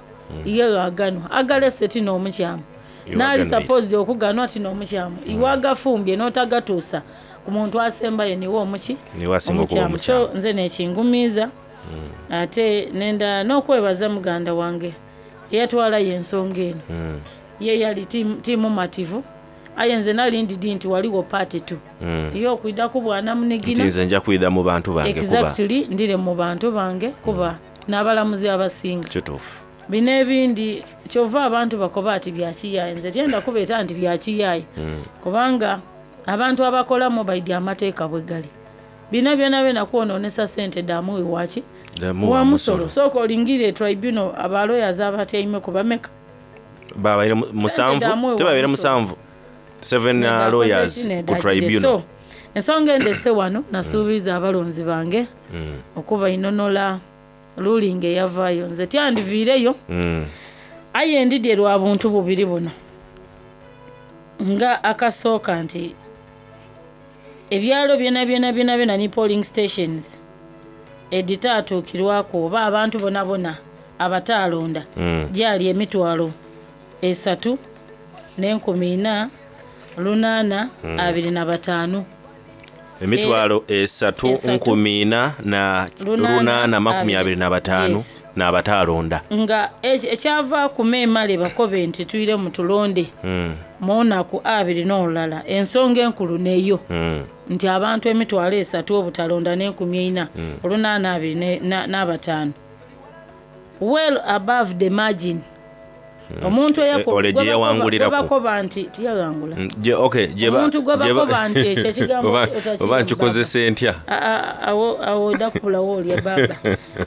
[SPEAKER 14] iye aganwa agalese ti n'omukyamu.
[SPEAKER 13] Iwe
[SPEAKER 14] Naali
[SPEAKER 13] aganwire.
[SPEAKER 14] supposed okuganwa ti n'omukyamu, iwe agafumbye n'otagatuusa ku muntu asembayo niwe omuki
[SPEAKER 13] Niwe asinga okuba
[SPEAKER 14] omukyamu. So nze nekingumiiza ate nenda n'okwebaza muganda wange eyatwalayo ensonga eno.
[SPEAKER 13] Mm.
[SPEAKER 14] Ye yali ti- timumativu, aye nze nali ndidi nti waliwo paati tu
[SPEAKER 13] Mm.
[SPEAKER 14] ye okwiddaku bwana
[SPEAKER 13] Nti
[SPEAKER 14] munigina.
[SPEAKER 13] nze nja kwidha mu bantu bange kuba
[SPEAKER 14] Exactly, ndire mu bantu bange kuba n'abalamuzi abasinga
[SPEAKER 13] kituufu.
[SPEAKER 14] Bino ebindi kyova abantu bakoba ati byakiyaye, nze tyenda kubeeta nti byakiyaye
[SPEAKER 13] Mm.
[SPEAKER 14] kubanga abantu abakolamu baidi amateeka bwe gali bino byona byona kwonoonesa sente damuwe waki
[SPEAKER 13] Damu
[SPEAKER 14] wa
[SPEAKER 13] wa
[SPEAKER 14] musolo.
[SPEAKER 13] musolo.
[SPEAKER 14] Sooka olingire tribunal, abaloyas abatyaime ku bameka?
[SPEAKER 13] Babaire mu- musanvu.
[SPEAKER 14] Damu wa
[SPEAKER 13] Tebabaire
[SPEAKER 14] musolo.
[SPEAKER 13] musanvu, seven uh, lawyers ku tribunal.
[SPEAKER 14] So ensonga endese wano, nasuubiza abalonzi bange
[SPEAKER 13] Mm.
[SPEAKER 14] okuba inonola ruling eyavaayo, nze tyandiviireyo.
[SPEAKER 13] Mm.
[SPEAKER 14] Aye ndidye lwa buntu bubiri buno, nga akasooka nti ebyalo byona byona byona byona ni polling stations editaatuukirwako oba abantu bona bona abataalonda
[SPEAKER 13] Mm.
[SPEAKER 14] gyali emitwalo esatu n'enkumi ina lunaana
[SPEAKER 13] Mm.
[SPEAKER 14] abiri na bataano.
[SPEAKER 13] Emitwalo esatu
[SPEAKER 14] esatu,
[SPEAKER 13] nkumi ina na
[SPEAKER 14] lunaana
[SPEAKER 13] lunaana makumi
[SPEAKER 14] abiri.
[SPEAKER 13] abiri na bataano
[SPEAKER 14] Yes.
[SPEAKER 13] n'abataalonda.
[SPEAKER 14] Nga eki- ekyava ku meemale bakobe nti tuyire mu tulonde
[SPEAKER 13] Mm.
[SPEAKER 14] munaku abiri n'olulala, ensonga enkulu neyo
[SPEAKER 13] Mm.
[SPEAKER 14] nti abantu emitwalo esatu obutalonda n'enkumi eina
[SPEAKER 13] Mm.
[SPEAKER 14] olunaana abiri ne- na- n'abataano, well above the margin. Omuntu
[SPEAKER 13] Eh, ole gye yawanguliraku.
[SPEAKER 14] gwebakoba nti tiyawangula.
[SPEAKER 13] Mm, gye- okay, gye ba-
[SPEAKER 14] Omuntu gwe
[SPEAKER 13] gye ba-
[SPEAKER 14] bakoba nti ekyo ekigambo
[SPEAKER 13] Oba-
[SPEAKER 14] otakirimu
[SPEAKER 13] oba nkikozesa ntya?
[SPEAKER 14] A- a- awo awo odakubulawo olya baba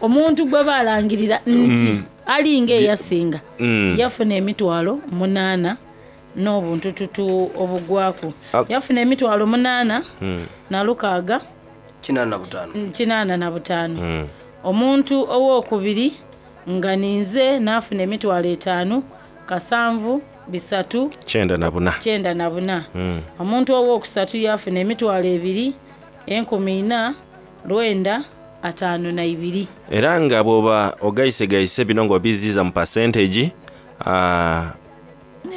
[SPEAKER 14] omuntu gwe balangirira nti
[SPEAKER 13] Mm.
[SPEAKER 14] alinga eyasinga
[SPEAKER 13] Mm.
[SPEAKER 14] yafuna emitwalo munaana n'obuntututu obugwako.
[SPEAKER 13] Ah.
[SPEAKER 14] Yafuna emitwalo munaana
[SPEAKER 13] Mm.
[SPEAKER 14] na lukaaga
[SPEAKER 15] kinaana na butaano.
[SPEAKER 14] Kinaana na butaano.
[SPEAKER 13] Mm.
[SPEAKER 14] Omuntu owokubiri nga ninze n'afuna emitwalo etaano kasanvu bisatu
[SPEAKER 13] kyenda na buna.
[SPEAKER 14] Kyenda na buna.
[SPEAKER 13] Mm.
[SPEAKER 14] Omuntu owokusatu yafuna emitwalo ebiri enkumi ina lwenda ataano na ibiri.
[SPEAKER 13] Era nga bw'oba ogayisegayise bino ng'obiziiza mu percentage, ah,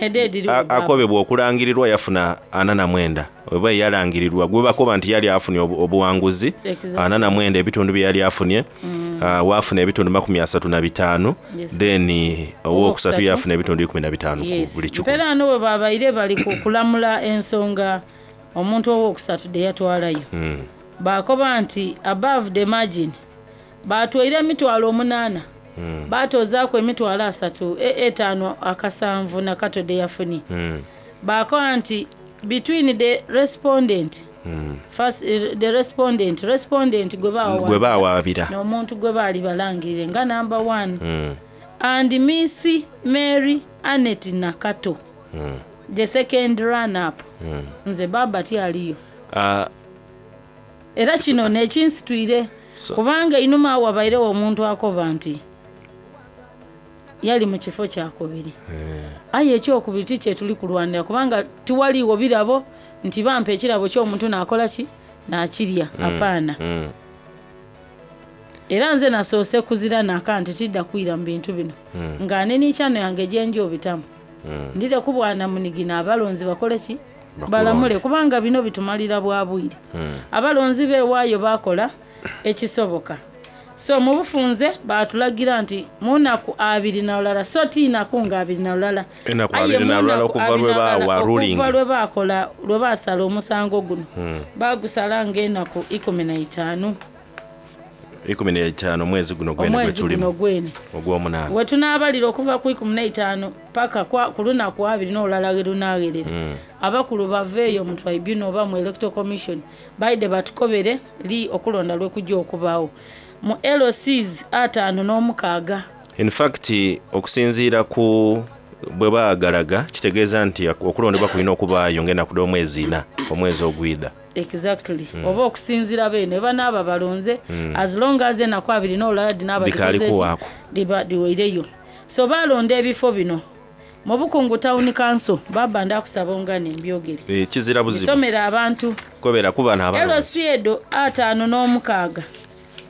[SPEAKER 14] Nede ediri
[SPEAKER 13] a- akobebwa okulangirirwa yafuna ana na mwenda, oba yalangirirwa gwe bakoba nti yali afunye obu- obuwanguzi
[SPEAKER 14] Exactly.
[SPEAKER 13] ana na mwenda ebitundu bye yali afunye.
[SPEAKER 14] Mm.
[SPEAKER 13] Ah, waafuna ebitundu makumi asatu na bitaano.
[SPEAKER 14] Yes.
[SPEAKER 13] Then eh, owokusatu
[SPEAKER 14] Owokusatu.
[SPEAKER 13] yafuna ebitundu ikumi na bitaano ku
[SPEAKER 14] Yes.
[SPEAKER 13] buli kikumi.
[SPEAKER 14] Mpeera ano we babaire bali ku kulamula ensonga omuntu owokusatu de yatwalayo
[SPEAKER 13] Mm.
[SPEAKER 14] bakoba nti above the margin batwaire emitwalo omunaana
[SPEAKER 13] Mm.
[SPEAKER 14] batozaaku emitwalo asatu e- etaano akasanvu nakato de yafunye.
[SPEAKER 13] Mm.
[SPEAKER 14] Bakoba nti between the respondent
[SPEAKER 13] Mm.
[SPEAKER 14] first, eh, the respondent respondent gwe bawa-
[SPEAKER 13] Gwe bawaabira.
[SPEAKER 14] n'omuntu gwe baali balangirire nga number one
[SPEAKER 13] Mm.
[SPEAKER 14] and Miss Mary Anet Nakato,
[SPEAKER 13] Mm.
[SPEAKER 14] the second run up,
[SPEAKER 13] Mm.
[SPEAKER 14] nze baba tyaliyo.
[SPEAKER 13] Ah,
[SPEAKER 14] Era kino nekinsitwire
[SPEAKER 13] So-
[SPEAKER 14] kubanga einuma awo wabairewo omuntu akoba nti yali mu kifo kyakubiri,
[SPEAKER 13] eh.
[SPEAKER 14] aye ekyokubiri ti kyetuli kulwanira kubanga tiwaliiwo birabo nti bampa ekirabo ky'omuntu nakola ki nakirya.
[SPEAKER 13] Mm.
[SPEAKER 14] Apaana.
[SPEAKER 13] Mm.
[SPEAKER 14] Era nze nasoose kuzira naka nti tidda kwira mu bintu bino
[SPEAKER 13] Mm.
[SPEAKER 14] nga nenikyano yange gyenja obitamu.
[SPEAKER 13] Mm.
[SPEAKER 14] Ndire ku bwana munigina abalonzi bakole ki?
[SPEAKER 13] Bakulonde.
[SPEAKER 14] Balamule kubanga bino bitumalira bwa bwire.
[SPEAKER 13] Mm.
[SPEAKER 14] Abalonzi beewaayo bakola ekisoboka, so mu bufunze batulagira nti munaku abiri na lulala, so tiinaku nga abiri na lulala.
[SPEAKER 13] Enaku
[SPEAKER 14] Aye
[SPEAKER 13] abiri na lulala
[SPEAKER 14] munaku
[SPEAKER 13] okuva lwe
[SPEAKER 14] abiri na lulala,
[SPEAKER 13] baawa ruling.
[SPEAKER 14] okuva lwe bakola lwe basala omusango guno.
[SPEAKER 13] Mm.
[SPEAKER 14] Bagusala ng'enaku ikumi na itaano.
[SPEAKER 13] Ikumi n'etaano mwezi guno gwene gwe
[SPEAKER 14] Omwezi guno
[SPEAKER 13] tulimu
[SPEAKER 14] gwene
[SPEAKER 13] ogw'omunaana.
[SPEAKER 14] We tunaabalira okuva ku ikumi n'etaano paka kwa- ku lunaku abiri n'olulala lwe lunaawerera,
[SPEAKER 13] Mm.
[SPEAKER 14] abakulu baveeyo mu tribunal oba mu electoral commission baide batukobere li okulonda lwe kujja okubaawo mu L Cs ataano n'omukaaga.
[SPEAKER 13] In fact, okusinziira ku Bwe baagalaga kitegeeza nti okulondebwa kulina okubaayo ng'ennaku dh'omwezi ina omwezi ogwidha.
[SPEAKER 14] Exactly.
[SPEAKER 13] Mm.
[SPEAKER 14] Oba okusinziira beene banaaba balonze,
[SPEAKER 13] Mm.
[SPEAKER 14] as long as enaku abiri n'olulala dinaaba
[SPEAKER 13] Bikaali
[SPEAKER 14] dikozesa,
[SPEAKER 13] kuwaako.
[SPEAKER 14] diba diweireyo. So balonda ebifo bino mu Bukungu Town Council, baba ndakusaba ongane mbyogere.
[SPEAKER 13] Eh, kizira buzibu.
[SPEAKER 14] Bisomera abantu.
[SPEAKER 13] Kobera kuba n'abalonzi.
[SPEAKER 14] L C edo ataano n'omukaaga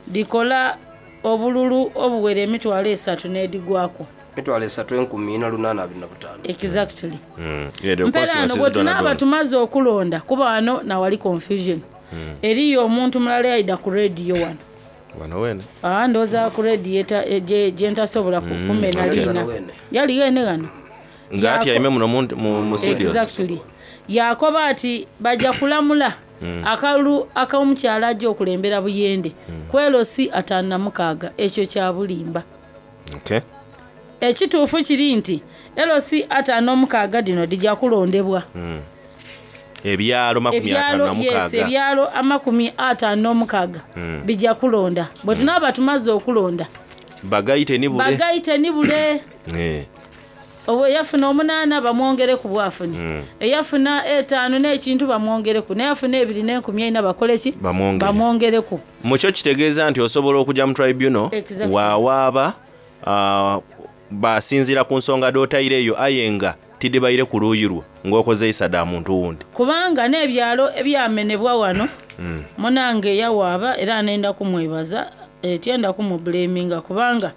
[SPEAKER 14] dikola obululu obuwera emitwalo esatu n'edigwako.
[SPEAKER 15] Emitwalo esatu enkumi ina lunaana abiri na butaano.
[SPEAKER 14] Exactly.
[SPEAKER 13] Mm. Edo
[SPEAKER 14] Mpeera ano
[SPEAKER 13] constituencies
[SPEAKER 14] bwe
[SPEAKER 13] dona
[SPEAKER 14] tunaaba
[SPEAKER 13] dona.
[SPEAKER 14] tumaze okulonda, kuba wano nawali confusion.
[SPEAKER 13] Mm.
[SPEAKER 14] Eriyo omuntu mulala yayida ku rediyo wano.
[SPEAKER 13] Wano wene.
[SPEAKER 14] Ah, ndowooza ku rediyo eta- e, gye gye ntasobola ku-
[SPEAKER 13] Mm.
[SPEAKER 14] kumena
[SPEAKER 13] Yali
[SPEAKER 14] liina.
[SPEAKER 13] gano wene.
[SPEAKER 14] Yali wene gano.
[SPEAKER 13] Nga atyaime muno mu mu- mu studio.
[SPEAKER 14] Exactly. Yakoba ati bajja kulamula
[SPEAKER 13] Mm.
[SPEAKER 14] akalulu ak'omukyala ajja okulembera Buyende ku L C ataano na mukaaga. Ekyo kya bulimba.
[SPEAKER 13] Okay.
[SPEAKER 14] Ekituufu kiri nti L C ataano n'omukaaga dino dijja kulondebwa.
[SPEAKER 13] Mm. Ebyalo makumi ataano
[SPEAKER 14] Ebyalo,
[SPEAKER 13] na
[SPEAKER 14] yes,
[SPEAKER 13] mukaaga.
[SPEAKER 14] ebyalo amakumi ataano n'omukaaga
[SPEAKER 13] Mm.
[SPEAKER 14] bijja kulonda. Bwe tunaaba tumaze okulonda,
[SPEAKER 13] Bagayite ni bule.
[SPEAKER 14] bagayite ni bule.
[SPEAKER 13] Eh.
[SPEAKER 14] Oba eyafuna omunaana bamwongere ku bwafuni,
[SPEAKER 13] Mm.
[SPEAKER 14] eyafuna etaano n'ekintu bamwongereku, neyafuna ebiri n'enkumi ena bakole ki?
[SPEAKER 13] Bamwongere.
[SPEAKER 14] Bamwongereku.
[SPEAKER 13] Mukyo kitegeeza nti osobola okujja mu tribunal
[SPEAKER 14] Exactly.
[SPEAKER 13] wawaaba ah, basinziira ku nsonga dh'otaireyo aye nga tidibaire ku luuyi lwo ng'okozeisa dda muntu wundi.
[SPEAKER 14] Kubanga n'ebyalo ebyamenebwa wano,
[SPEAKER 13] Mm.
[SPEAKER 14] munange yawaaba era nenda kumwebaza, eh, tyenda kumubuleminga kubanga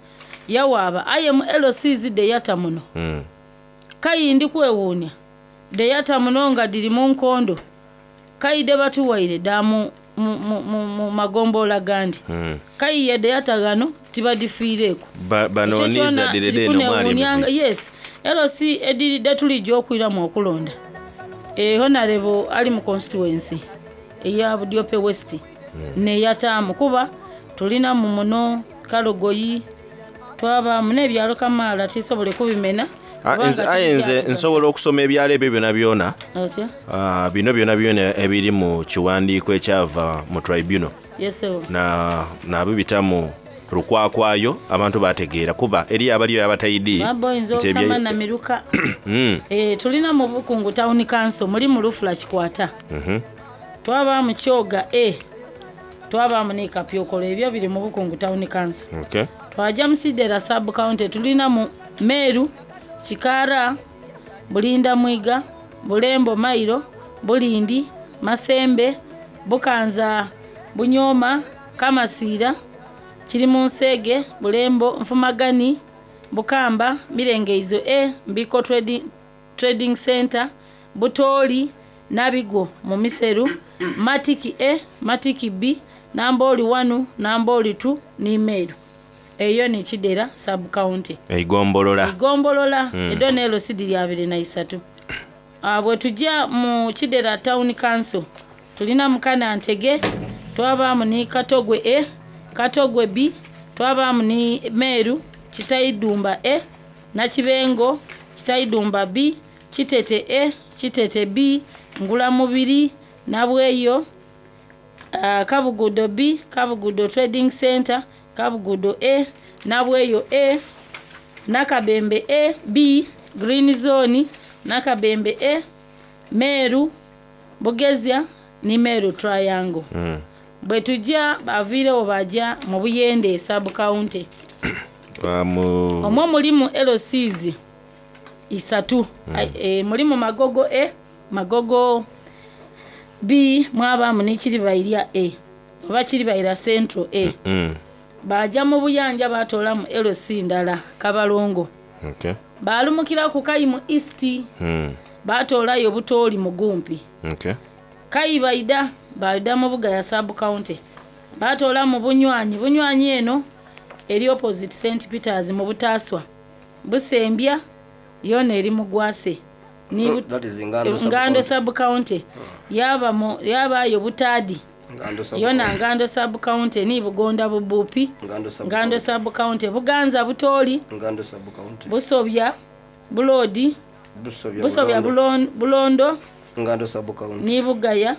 [SPEAKER 14] yawaaba, aye mu L Cs deyata muno.
[SPEAKER 13] Mm.
[SPEAKER 14] Kayindi kwewuunya deyata muno nga diri mu nkondo kayide batuwaire da mu, mu, mu, mu, mu magombolola gandi.
[SPEAKER 13] Mm.
[SPEAKER 14] Kayiye deyata gano tibadifiireeko.
[SPEAKER 13] Ba- Banooniza direde eno mwali
[SPEAKER 14] kunewuunyanga
[SPEAKER 13] emivuyo.
[SPEAKER 14] yes, L C ediridde tulijja okwiramu okulonda. Eh, honorable ali mu constituency eya Budiope West neyataamu, kuba tulina mu muno Kalogoyi, twabaamu n'ebyalo kamaala tisobole kubimena.
[SPEAKER 13] Ah,
[SPEAKER 14] kubanga
[SPEAKER 13] nze- aye nze
[SPEAKER 14] tibijja
[SPEAKER 13] nsobola okusoma ebyalo ebyo byona byona.
[SPEAKER 14] Otya?
[SPEAKER 13] Ah, bino byona byona ebiri mu kiwandiiko ekyava mu tribunal
[SPEAKER 14] Yes, sir.
[SPEAKER 13] na nabibita mu lukwakwayo abantu bategeera kuba eri abaliyo abataidi
[SPEAKER 14] Baba oyinza
[SPEAKER 13] nti ebye-
[SPEAKER 14] obutama na miruka.
[SPEAKER 13] Mm.
[SPEAKER 14] Eh, tulina mu Bukungu Town Council muli mu Lufula Kikwata,
[SPEAKER 13] Mhm.
[SPEAKER 14] twabaamu Kyoga A, twabaamu ne Kapyokolo, ebyo biri mu Bukungu Town Council.
[SPEAKER 13] Okay.
[SPEAKER 14] Twajja mu Sidera sub county, tulina mu Meru, Kikara, Bulinda Mwiga, Bulembo Mairo, Bulindi, Masembe, Bukanza, Bunyoma, Kamasiira, kiri mu Nsege, Bulembo, Nfumagani, Bukamba, Mirengeizo A, Mbiko Trading, Trading Center, Butooli, Nabigo mu Miseru, Matiki A, Matiki B, Nambooli one, Nambooli two ni Meru. Eyo ni Kidera sub county.
[SPEAKER 13] Eigombolola.
[SPEAKER 14] Igombolola.
[SPEAKER 13] Mm.
[SPEAKER 14] Edo neelo sidi abiri na isatu. Ah, bwe tujja mu Kidera Town Council tulina Mukana Ntege, twabaamu ni Katogwe A, Katogwe B, twabaamu ni Meru, Kitaidumba A, Nakibengo, Kitaidumba B, Kitete A, Kitete B, Ngulamubiri, Nabweyo, ah, Kabugudo B, Kabugudo Trading Center, Kabugudo A, Nabweyo A, Nakabembe A, B, Green Zone, Nakabembe A, Meru, Bugezya ni Meru Triangle.
[SPEAKER 13] Mm.
[SPEAKER 14] Bwe tujja baviirewo bajja mu Buyende sub county.
[SPEAKER 13] Ah, mu-
[SPEAKER 14] Omwo mulimu L Cs isatu.
[SPEAKER 13] Mm.
[SPEAKER 14] Ai, e, mulimu Magogo A, Magogo B, mwabaamu ne Kiribairya A oba Kiribaira Central A.
[SPEAKER 13] Mm.
[SPEAKER 14] Bajja mu Buyanja batoolamu L C ndala, Kabalongo.
[SPEAKER 13] Okay.
[SPEAKER 14] Baalumukira ku Kayimu East,
[SPEAKER 13] Mm.
[SPEAKER 14] batoolayo Butooli Mugumpi.
[SPEAKER 13] Okay.
[SPEAKER 14] Kayi baida baida mu Bugaya sub county, batoola mu Bunywanyi. Bunywanyi eno eri opposite Saint Peters mu Butaaswa. Busembya yona eri mu Gwase. Ni
[SPEAKER 15] Mm, that is Ngando sub
[SPEAKER 14] Ngando
[SPEAKER 15] county.
[SPEAKER 14] sub county. Yaba mu yabayo Butaadi.
[SPEAKER 15] Ngando sub
[SPEAKER 14] Yona
[SPEAKER 15] county.
[SPEAKER 14] Ngando sub county ni Bugonda Bubupi.
[SPEAKER 15] Ngando sub
[SPEAKER 14] Ngando sub county, Buganza Butooli,
[SPEAKER 15] Ngando sub county.
[SPEAKER 14] Busobya, Buloodi,
[SPEAKER 15] Busobya.
[SPEAKER 14] Busobya
[SPEAKER 15] Bulondo.
[SPEAKER 14] Bulon- Bulondo
[SPEAKER 15] Ngando sub county.
[SPEAKER 14] ni Bugaya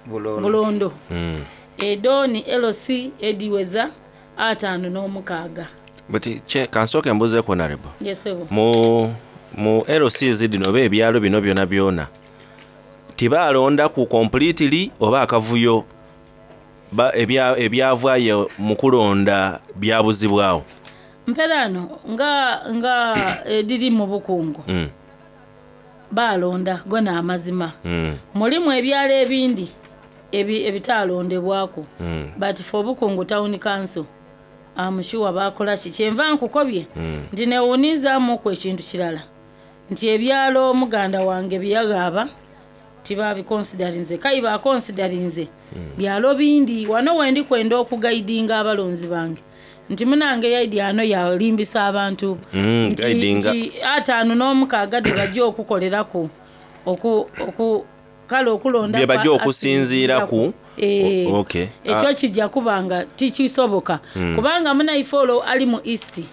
[SPEAKER 15] Bulondo.
[SPEAKER 14] Bulondo.
[SPEAKER 13] Mm.
[SPEAKER 14] Edo ni L C ediweza ataano n'omukaaga.
[SPEAKER 13] But che kansooke mbuzeeko honorable.
[SPEAKER 14] Yesebo.
[SPEAKER 13] Mu Mu L Cs dhino oba ebyalo bino byona byona tibalonda ku completely oba akavuyo ba- ebya- ebyavaayo mu kulonda byabuzibwawo?
[SPEAKER 14] Mperano nga nga ediri mu bukungu
[SPEAKER 13] Mm,
[SPEAKER 14] balonda gona amazima.
[SPEAKER 13] Mm,
[SPEAKER 14] mulimu ebyalo ebindi ebi- ebitalondebwaku,
[SPEAKER 13] mm,
[SPEAKER 14] but for Obukungu Town Council amushuwa bakola ki. Kyenva nkukobye
[SPEAKER 13] mm.
[SPEAKER 14] nti newunizaamuku ekintu kirala nti ebyalo muganda wange byeyagaba tibabikonsidarinze, kayi bakonsidarinze byalo bindi. Wano wendi kwenda okugaidinga abalonzi bange nti munange yaidi ano yalimbisa abantu
[SPEAKER 13] Mm,
[SPEAKER 14] nti,
[SPEAKER 13] guidinga.
[SPEAKER 14] nti ataano n'omukaaga de bajja okukoleraku oku, oku, kale okulonda
[SPEAKER 13] bye bajja
[SPEAKER 14] kwa-
[SPEAKER 13] okusinziira ku.
[SPEAKER 14] Eh,
[SPEAKER 13] O- okay.
[SPEAKER 14] Ekyo
[SPEAKER 13] Ah.
[SPEAKER 14] kijja kubanga tikisoboka,
[SPEAKER 13] Mm.
[SPEAKER 14] kubanga munaife olwo ali mu East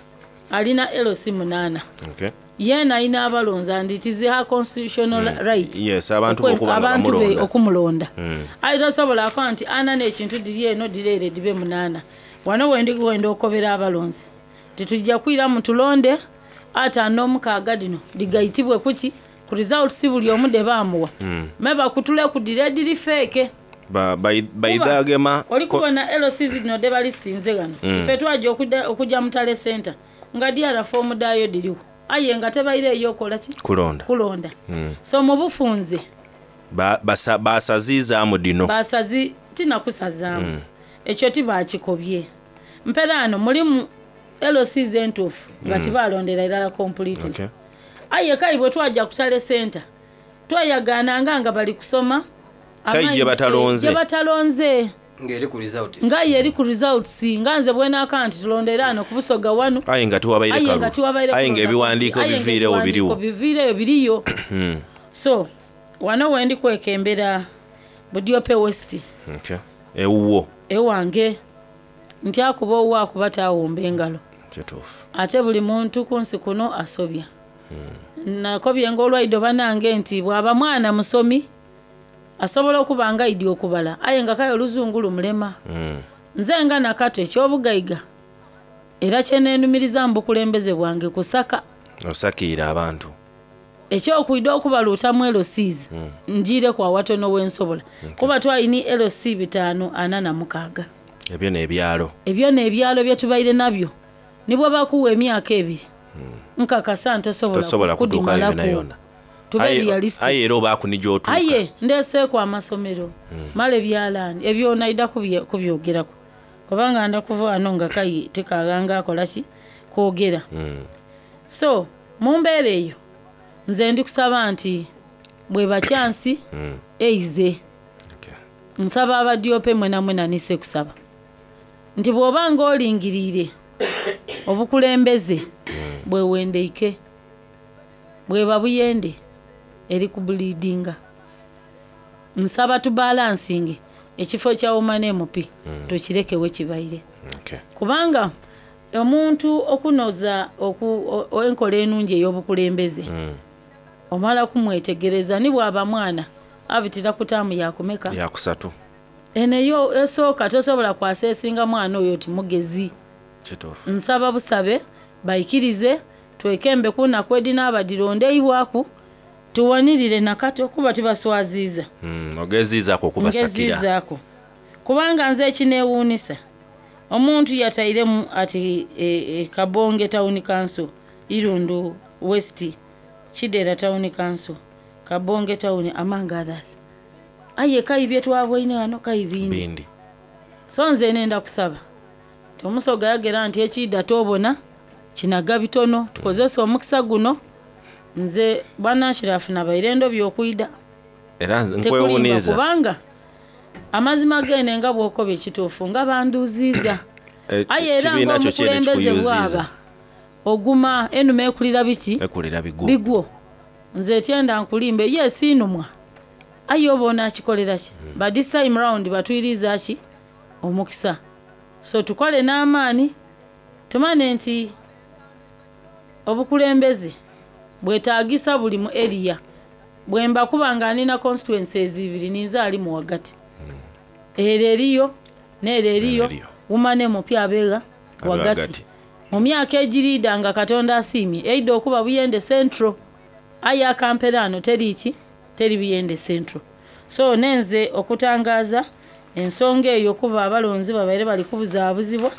[SPEAKER 14] alina L C munaana,
[SPEAKER 13] Okay.
[SPEAKER 14] yeena alina abalonzi and it is her constitutional right
[SPEAKER 13] Yes, abantu
[SPEAKER 14] okwe-
[SPEAKER 13] okuba nga
[SPEAKER 14] abantu be
[SPEAKER 13] bamulonda.
[SPEAKER 14] okumulonda.
[SPEAKER 13] Mm.
[SPEAKER 14] Aye tosobola akuba nti ana n'ekintu diri eno diri ere dibe munaana. Wano wendi wenda okobera abalonzi titujja kwiramu tulonde ataano n'omukaaga dino digayitibwe kuki ku results buli omu de baamuwa,
[SPEAKER 13] Mm.
[SPEAKER 14] me bakutule ku dire diri feeke.
[SPEAKER 13] Ba- bai- baidagema
[SPEAKER 14] Oli
[SPEAKER 13] ko-
[SPEAKER 14] kubona L Cs zino de balistinze gano.
[SPEAKER 13] Mm.
[SPEAKER 14] Ffe twajja okudda- okujja mu tale center nga D R foomu daayo diriwo, aye nga tebaireeyo okola ki?
[SPEAKER 13] Kulonda.
[SPEAKER 14] Kulonda.
[SPEAKER 13] Mm.
[SPEAKER 14] So mu bufunze
[SPEAKER 13] Ba- basa- basaziizaamu dino.
[SPEAKER 14] Basazi tinakusazaamu.
[SPEAKER 13] Mm.
[SPEAKER 14] Ekyo tibakikobye. Mperaano mulimu L Cs entuufu nga
[SPEAKER 13] Mm.
[SPEAKER 14] tibalondera irala completely.
[SPEAKER 13] Okay.
[SPEAKER 14] Aye kayi bwe twajja ku tale center twayagaananga nga bali kusoma
[SPEAKER 13] Kayi
[SPEAKER 14] amaanyi-
[SPEAKER 13] gye batalonze.
[SPEAKER 14] eh, gye batalonze.
[SPEAKER 15] Ng'eri ku results.
[SPEAKER 14] Nga ye eri ku results, nga nze bwenaka nti tulondera ano ku Busoga wanu,
[SPEAKER 13] Aye nga tiwabaire
[SPEAKER 14] aye nga
[SPEAKER 13] kalulu.
[SPEAKER 14] tiwabaire
[SPEAKER 13] Aye nga
[SPEAKER 14] kulonda.
[SPEAKER 13] ebiwandiiko
[SPEAKER 14] Aye nga
[SPEAKER 13] biviirewo
[SPEAKER 14] ebiwandiiko
[SPEAKER 13] biriwo.
[SPEAKER 14] biviireyo biriyo.
[SPEAKER 13] Mm.
[SPEAKER 14] So wano wendi kwekembera Budiope West.
[SPEAKER 13] Okay. Ewuwo.
[SPEAKER 14] Ewange nti akuba owuwo akuba tawumba engalo.
[SPEAKER 13] Kituufu.
[SPEAKER 14] Ate buli muntu ku nsi kuno asobya. Nakobye ngaolwaido banange nti bw'aba mwana musomi asobola okuba nga aidi okubala, aye nga kaye oluzungu lumulema.
[SPEAKER 13] Mm.
[SPEAKER 14] Nze nga nakato ekyobugayiga era kyeneenumiriza mu bukulembeze bwange kusaka.
[SPEAKER 13] Osakiira abantu.
[SPEAKER 14] Ekyokwida okubaluutamu L Cs,
[SPEAKER 13] Mm.
[SPEAKER 14] njiireku awatono wensobola, kuba twalini L C bitaano ana na mukaaga.
[SPEAKER 13] Ebyo n'ebyalo.
[SPEAKER 14] Ebyo n'ebyalo bye tubaire nabyo nibwe bakuwa emyaka ebiri, nkakasa ntosobola
[SPEAKER 13] Tosobola kutuukayo yona
[SPEAKER 14] kudimalako.
[SPEAKER 13] yona.
[SPEAKER 14] Tube
[SPEAKER 13] Aye-
[SPEAKER 14] realistic.
[SPEAKER 13] Aye era obaaku ni gy'otuuka.
[SPEAKER 14] Aye ndeeseeku amasomero, mala ebyalaani ebyo naida kubye- kubyogeraku kubanga nda kuva wano nga kayi tekaghanga akola ki kwogera.
[SPEAKER 13] Mm.
[SPEAKER 14] So mu mbeera eyo nze ndi kusaba nti bwe bakyansi
[SPEAKER 13] Mm.
[SPEAKER 14] eize nsaba abadyope mwena mwena nise kusaba nti bw'oba nga olingiriire obukulembeze bwewendeike bweba buyende eri kubuliidinga, nsaba tubalansinge ekifo kya woman M P, tukirekewe kibaire,
[SPEAKER 13] Okay.
[SPEAKER 14] kubanga omuntu okunoza oku- o- enkola enungi ey'obukulembeze
[SPEAKER 13] Mm.
[SPEAKER 14] omala kumwetegereza ni bwaba mwana abitira ku taamu yakumeka?
[SPEAKER 13] Yakusatu.
[SPEAKER 14] Eneyo esooka tosobola kwaseesinga mwana oyo ti mugezi.
[SPEAKER 13] Kituufu.
[SPEAKER 14] Nsaba busabe bayikirize twekembe kunaku edinaaba dirondeibwaku tuwanirire nakato kuba tibaswaziiza.
[SPEAKER 13] Mm. Ogeziizaako okubasakira.
[SPEAKER 14] Ngeziizaako kubanga nze ekineewuunisa omuntu yatairemu ati e, e, Kabonge Town Council, Irundu West, Kidera Town Council, Kabonge Town among others, aye kayi byetwabwaine wano kayi bindi.
[SPEAKER 13] Bindi.
[SPEAKER 14] So nze nenda kusaba nti omusoga yagera nti ekiida tobona kinaga bitono, tukozese omukisa guno. Nze bwananshirafu nabaire endobya okwida.
[SPEAKER 13] Era nze
[SPEAKER 14] Tekulimba,
[SPEAKER 13] nkwewuniiza.
[SPEAKER 14] kubanga amazima gene nga bwokoba ekituufu nga banduuziiza.
[SPEAKER 13] Eh,
[SPEAKER 14] Aye era
[SPEAKER 13] kibiina kyo kyene
[SPEAKER 14] ngaomukulembeze
[SPEAKER 13] kikuyuziiza.
[SPEAKER 14] bwaba oguma enuma ekulira biki?
[SPEAKER 13] Ekulira bigwo.
[SPEAKER 14] Bigwo. Nze etyenda nkulimbe ye siinumwa, aye oba onaakikolera ki? But this time round batwiriza ki omukisa, so tukole n'amaani tumane nti obukulembeze bwetaagisa buli mu area. Bwemba kuba nga nina constituencies ibiri, ninze ali mu wagati, ero eriyo neero eriyo, wumane mupya abeera
[SPEAKER 13] Abe
[SPEAKER 14] wagati.
[SPEAKER 13] wagati.
[SPEAKER 14] Mu myaka egiriida nga Katonda asiimye eidde okuba Buyende Central. Aye akamperaano teri ki teri Buyende Central. So nenze okutangaza ensonga eyo kuba abalonzi babaire bali kubuzaabuzibwa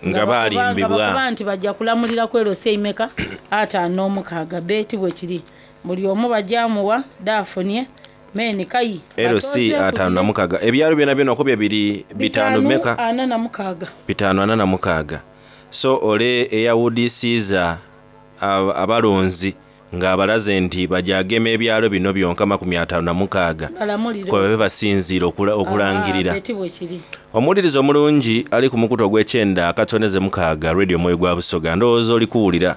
[SPEAKER 13] nga balimbibwa
[SPEAKER 14] bakuba nti bajja kulamulira ku L C imeka ataano n'omukaaga. Beeti bwe kiri buli omu bajjamuwa daafunye meni kayi
[SPEAKER 13] L C ataano na mukaaga. Ebyalo byona byona okubye biri bitaano meka
[SPEAKER 14] ana na mukaaga
[SPEAKER 13] bitaano ana na mukaaga. So ole eyawudisiiza abalonzi ng'abalaze nti bajagema ebyalo bino byonka makumi ataano na mukaaga kwe babe basinziira okulangirira. Omuwuliriza omulungi ali ku mukutu ogw'ekyenda akatoneze mukaaga Radio Mwoyo gwa Busoga, ndowooza oli kuwulira.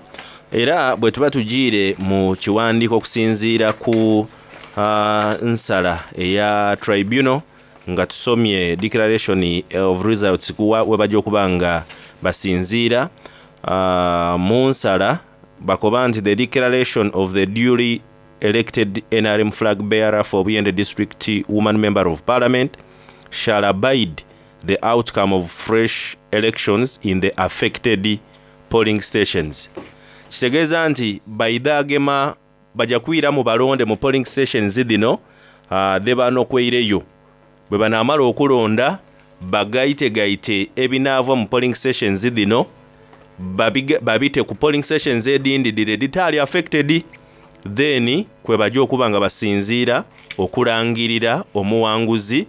[SPEAKER 13] Era bwe tuba tugiire mu kiwandiiko okusinziira ku uh, nsala eya tribunal nga tusomye declaration of results kuwa we bajja okuba nga basinziira uh, mu nsala bakoba nti the declaration of the duly elected N R M flag bearer for Buyende District Woman Member of Parliament shall abide the outcome of fresh elections in the affected polling stations. Kitegeeza nti baidagema bajja kwira mu balonde mu polling stations dhino uh, dhe banokweireyo bwe banaamala okulonda bagaitegaite ebinaava mu polling stations dhino babite ku polling stations edindi dire ditali affected, then kwe bajja okuba nga basinziira okulangirira omuwanguzi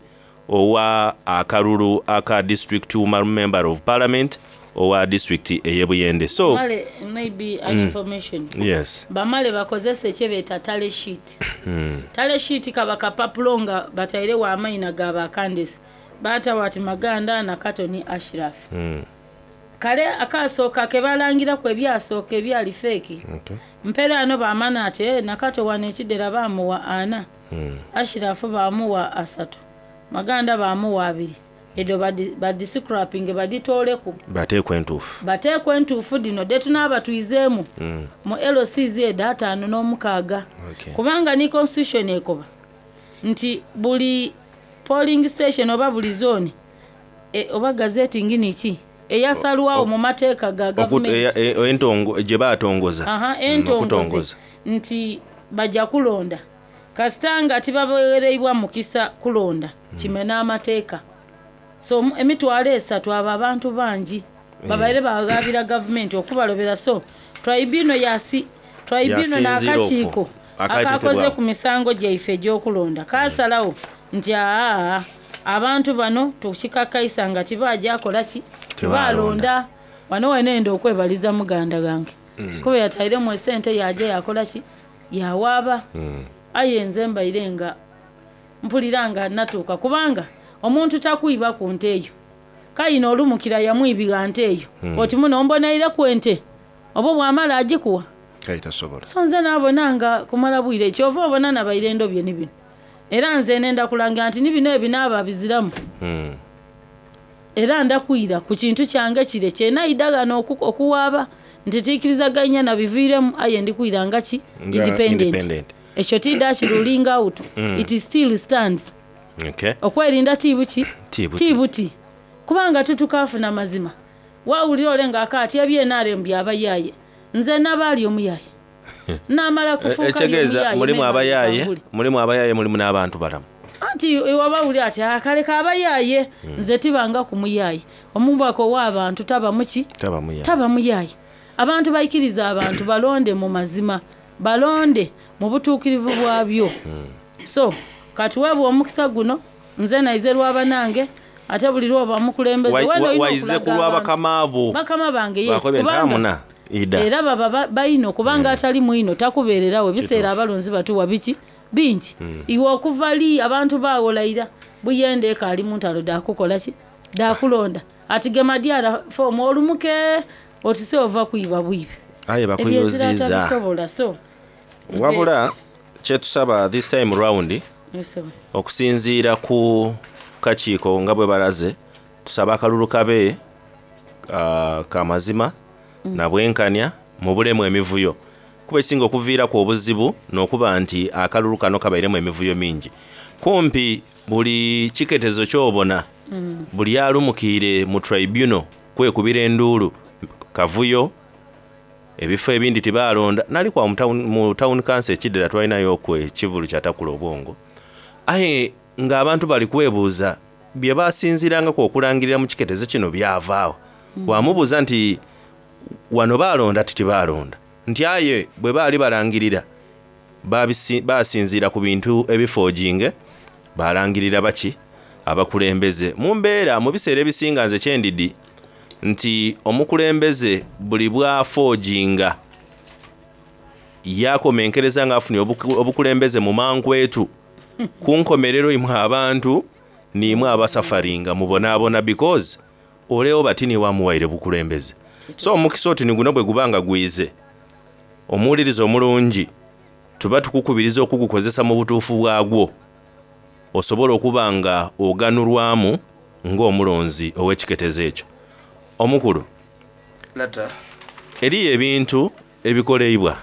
[SPEAKER 13] owa akalulu aka district woman member of parliament owa district ey'Ebuyende. So
[SPEAKER 14] male, maybe an mm. information.
[SPEAKER 13] Yes.
[SPEAKER 14] Bamale bakozese ekyebeta tally sheet.
[SPEAKER 13] Mm.
[SPEAKER 14] Tally sheet kaba kapapulo nga bataire wa amaina gaba Candice. Bata wati Maganda na Katoni Ashraf.
[SPEAKER 13] Mm.
[SPEAKER 14] Kale akasooka ke balangira ku ebyasooka ebyali fake.
[SPEAKER 13] Okay.
[SPEAKER 14] Mpera ano bamana ate Nakato wano ekidera bamuwa ana.
[SPEAKER 13] Mm.
[SPEAKER 14] Ashraf bamuwa asatu. Maganda bamuwa abiri. Edo badiscrapping baditoleku.
[SPEAKER 13] Bateekwe entuufu.
[SPEAKER 14] Bateekwe entuufu dino de tunaaba tuizeemu.
[SPEAKER 13] Mm.
[SPEAKER 14] Mu L C Z ataano n'omukaaga.
[SPEAKER 13] Okay.
[SPEAKER 14] Kubanga ni constitution ekoba nti buli polling station oba buli zone e, oba gazette ngini ki eyasalwawo mu mateeka ga gavumenti
[SPEAKER 13] entongo gye baatongoza.
[SPEAKER 14] Aha, entongoze nti bajja kulonda kasita nga tibaweereibwa mukisa kulonda
[SPEAKER 13] mm.
[SPEAKER 14] kimena amateeka. So emitwalo esatu abo abantu bangi babaire bagabira gavumenti okubalobera. So tribunal yasi tribunal n'akakiiko akakoze ku misango gyaife egy'okulonda kasalawo nti aa abantu bano tukikakaisa nga tibajja kola ki tibalonda. Wano wenenda okwebaliza muganda gange
[SPEAKER 13] mm.
[SPEAKER 14] kuba yatairemu esente yaje yakola ki yawaaba.
[SPEAKER 13] mm.
[SPEAKER 14] Aye nze mbaire nga mpulira nga natuuka kubanga omuntu takwiba ku nte eyo kayina olumukira yamwibiga nte eyo
[SPEAKER 13] mm.
[SPEAKER 14] oti muno mbonaire ku ente oba bwamala agikuwa
[SPEAKER 13] kaitasobola.
[SPEAKER 14] So nze naabona nga kumala bwire kyova obona nabaire endobye ni bino era nze nenda kulanga nti ni bino ebinaaba biziramu.
[SPEAKER 13] mm.
[SPEAKER 14] Era ndakwira ku kintu kyange kire kyenaidagana okuwaaba nti tiikirizaganya nabiviiremu aye ndikwira nga ki independent.
[SPEAKER 13] Independent.
[SPEAKER 14] Ekyo tidda kiruling out.
[SPEAKER 13] Mm.
[SPEAKER 14] It still stands.
[SPEAKER 13] Okay.
[SPEAKER 14] Okwerinda tibuki
[SPEAKER 13] tibuti,
[SPEAKER 14] tibuti. Kubanga tutukafuna mazima wawulira ole ng'akaati ebye N R M byabayaaye nze nabaali omuyaye namala kufuuka
[SPEAKER 13] ekitegeeza mulimu abayaaye mulimu abayaaye mulimu n'abantu balamu
[SPEAKER 14] anti wabawulira ati akaleka abayaaye
[SPEAKER 13] mm.
[SPEAKER 14] nze tibanga ku muyaaye omubaka ow'abantu taba muki
[SPEAKER 13] taba muyaaye
[SPEAKER 14] taba muyaaye. Abantu baikiriza abantu balonde mu mazima balonde mu butuukirivu bwabyo.
[SPEAKER 13] mm.
[SPEAKER 14] So katuweebwa omukisa guno nze naize lwabanange ate buli lwoba mukulembeze
[SPEAKER 13] waize ku lw'abakama abo
[SPEAKER 14] bakama bange yes
[SPEAKER 13] kubanga
[SPEAKER 14] era baba bayino kubanga mm. atali mwino takubeererawo ebiseera abalonzi batuwa biki bingi.
[SPEAKER 13] mm.
[SPEAKER 14] Iwe okuva li abantu bawolayira Buyende ekaali mu ntalo dakukola ki dakulonda ati gema dyala foomu olumuke otise ova kuyiba bwibe
[SPEAKER 13] aye bakuyoziza
[SPEAKER 14] tabisobola. So
[SPEAKER 13] wabula kyetusaba this time round okusinziira ku kakiiko nga bwe balaze tusaba akalulu kabe uh, kamazima
[SPEAKER 14] mm.
[SPEAKER 13] na bwenkanya mu bulemu emivuyo kuba ekisinga okuviiraku obuzibu n'okuba nti akalulu kano kabairemu emivuyo mingi kumpi buli kiketezo ky'obona
[SPEAKER 14] mm.
[SPEAKER 13] buli alumukiire mu tribunal kwekubira enduulu kavuyo Ebifo ebindi tibalonda nali kwa mu town, mu town council ekidera twalinayo ku ekivulu kyatakula obwongo, aye ng'abantu bali kwebuuza bye basinziirangako okulangirira mu kiketezo kino byavaawo. mm. Wamubuuza nti wano balonda ti tibalonda, nti aye bwe baali balangirira basinziira ku bintu ebifoojinge balangirira baki abakulembeze. Mu mbeera mu biseera ebisinga nze kyendidi nti omukulembeze buli bwafoojinga yakomenkereza ng'afunye obukulembeze mu mankwetu ku nkomerero imwe abantu nimwe abasafaringa mubonaabona because oleo batini wamuwaire bukulembeze. So omukisa oti ni guno bwe gubanga gwize omuwuliriza omulungi tuba tukukubiriza okugukozesa mu butuufu bwagwo osobola okuba nga oganulwamu ng'omulonzi ow'ekiketezo ekyo. Omukulu, eriyo ebintu ebikoleibwa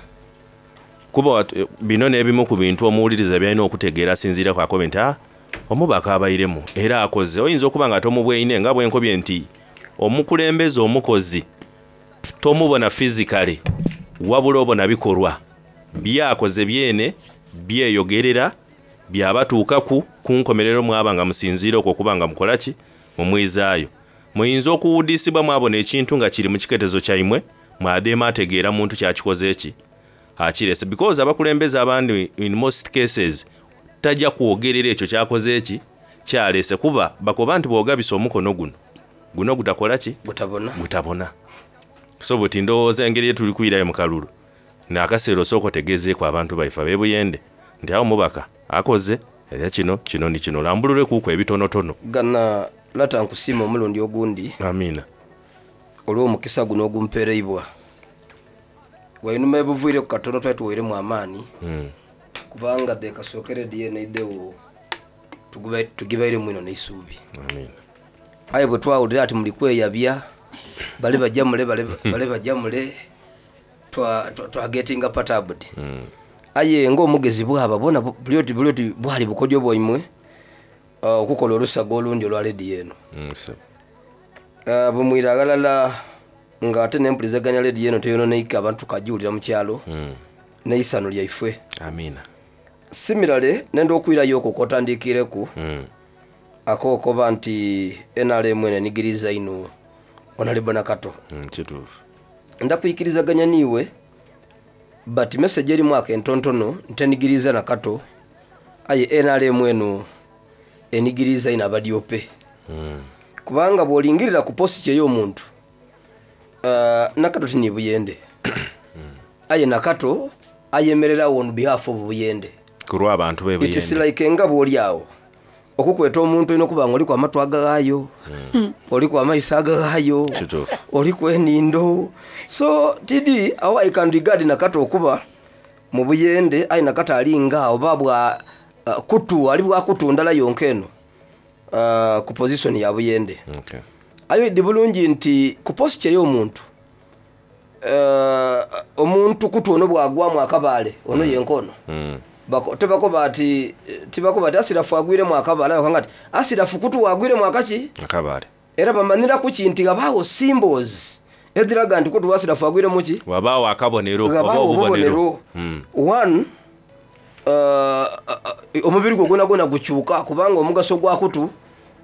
[SPEAKER 13] kuba bino n'ebimu ku bintu omuwuliriza byalina okutegeera asinziira ku akobe nti omubaka abairemu era akoze. Oyinza okuba nga tomubweine nga bwenkobye nti omukulembeze omukozi tomubona physically wabula obona bikolwa byakoze byene byeyogerera byabatuukaku ku nkomerero mwaba nga musinziira okwo okuba nga mukola ki mumwizaayo. Muyinza okuwuddisibwa mwabona ekintu nga kiri mu kiketezo kyaimwe mwadeema ategeera muntu kyakikoze eki akirese, because abakulembeze abandi in most cases tajja kwogerera ekyo kyakoze eki kyalese, kuba bakoba nti bw'ogabisa omukono guno guno gutakola ki
[SPEAKER 15] gutabona
[SPEAKER 13] gutabona. So buti ndowooza engeri yetuli kuyirayo mu kalulu n'akaseera osooka otegeezeeko abantu baife ab'ebuyende nti awo mubaka akoze era kino kino ni kino, lambulule kuuku ebitonotono.
[SPEAKER 15] Gana lata nkusiima omulundi ogundi.
[SPEAKER 13] Amiina.
[SPEAKER 15] Olw'omukisa guno ogumpeereibwa wainuma ebuvuire ku katono twali tuweiremu amaani mm. kubanga dhekasookere dyeneidewo tugibairemu ino n'eisuubi.
[SPEAKER 13] Amiina.
[SPEAKER 15] Aye bwe twawulira ati muli kweyabya bale bajja mule bale bajja mule twagetinga patabudi. Aye ng'omugezi bwaba bona buli oti buli oti bwali bukodyo bwaimwe okukola olusaga olundi olwa lediyo eno. Bumwira aghalala ng'ate n'empulizaganya lediyo eno teyononeike abantu tukagiwulira mu kyalo n'eisano lyaifwe.
[SPEAKER 13] Amiina.
[SPEAKER 15] Similarly nenda okwirayo okwo kwotandiikireku akokoba nti N R M eno enigiriza ino onalebo nakato.
[SPEAKER 13] Kituufu.
[SPEAKER 15] Ndakwikirizaganya niiwe but message erimu akentontono ntenigiriza nakato, aye N R M eno enigiriza ino abadyope.
[SPEAKER 13] Mm.
[SPEAKER 15] Kubanga bw'olingirira ku positi ey'omuntu uh, nakato tini buyende. Mm. Aye nakato ayemererawo on behalf of buyende
[SPEAKER 13] kulwa abantu be buyende.
[SPEAKER 15] It is like nga bw'oli awo okukweta omuntu olina okuba nga oliku amatu agagaayo, mm. oliku amaiso agagaayo, oliku enindo. So tidi awo I can regard nakato okuba mu buyende aye nakato alinga oba bwa uh, kutu ali bwa kutu ndala yonka eno uh, ku position ya buyende.
[SPEAKER 13] Okay.
[SPEAKER 15] Ayo di bulungi nti ku posture y'omuntu uh, omuntu kutu ono bwagwamu akabaale ono mm. yenkono
[SPEAKER 13] mm.
[SPEAKER 15] Bako tebakoba ati tibakoba ati asirafu agwiremu akabaale ayo kangati asirafu kutu wagwiremu akaki
[SPEAKER 13] akabaale
[SPEAKER 15] era bamanira ku kinti gabaawo symbols ediraga nti kutu asirafu agwiremu ki
[SPEAKER 13] wabaawo akabonero oba obubonero.
[SPEAKER 15] Mm. One uh, uh, omubiri gwo gwona gwona gukyuka kubanga omugaso gwa kutu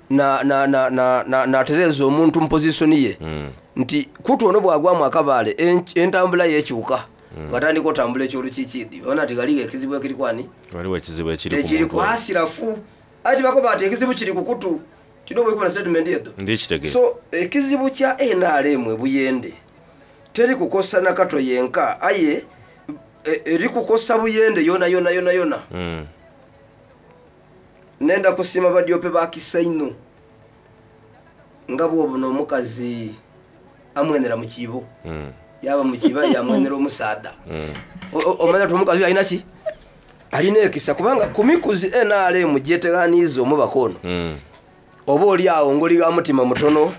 [SPEAKER 15] na na na na na natereza omuntu mu position ye.
[SPEAKER 13] Mm.
[SPEAKER 15] Nti kutu ono bwagwamu akabaale entambula yekyuka. Mm. Batandika otambula ekyolukiikidi bona nti galiga ekizibu ekiri kwani
[SPEAKER 13] waliwo ekizibu ekiri
[SPEAKER 15] ekiri ku asirafu ati bakoba ati ekizibu kiri ku kutu kino bwekubona statement edo
[SPEAKER 13] ndikitegere.
[SPEAKER 15] So ekizibu kya N R M ebuyende teri kukosa nakato yenka aye eri kukosa buyende yona yona yona yona.
[SPEAKER 13] Mm.
[SPEAKER 15] Nenda kusima badyope bakisa ino nga bw'obuno omukazi amwenera mu kibo.
[SPEAKER 13] Mm.
[SPEAKER 15] Yaba mu kiba yamwenera omusaada.
[SPEAKER 13] Mm.
[SPEAKER 15] Omanya nti omukazi alina ki alina ekisa kubanga ku mikuzi N R M gyeteganiiza omubaka ono.
[SPEAKER 13] Mm.
[SPEAKER 15] Oba oli awo ng'oli ga mutima mutono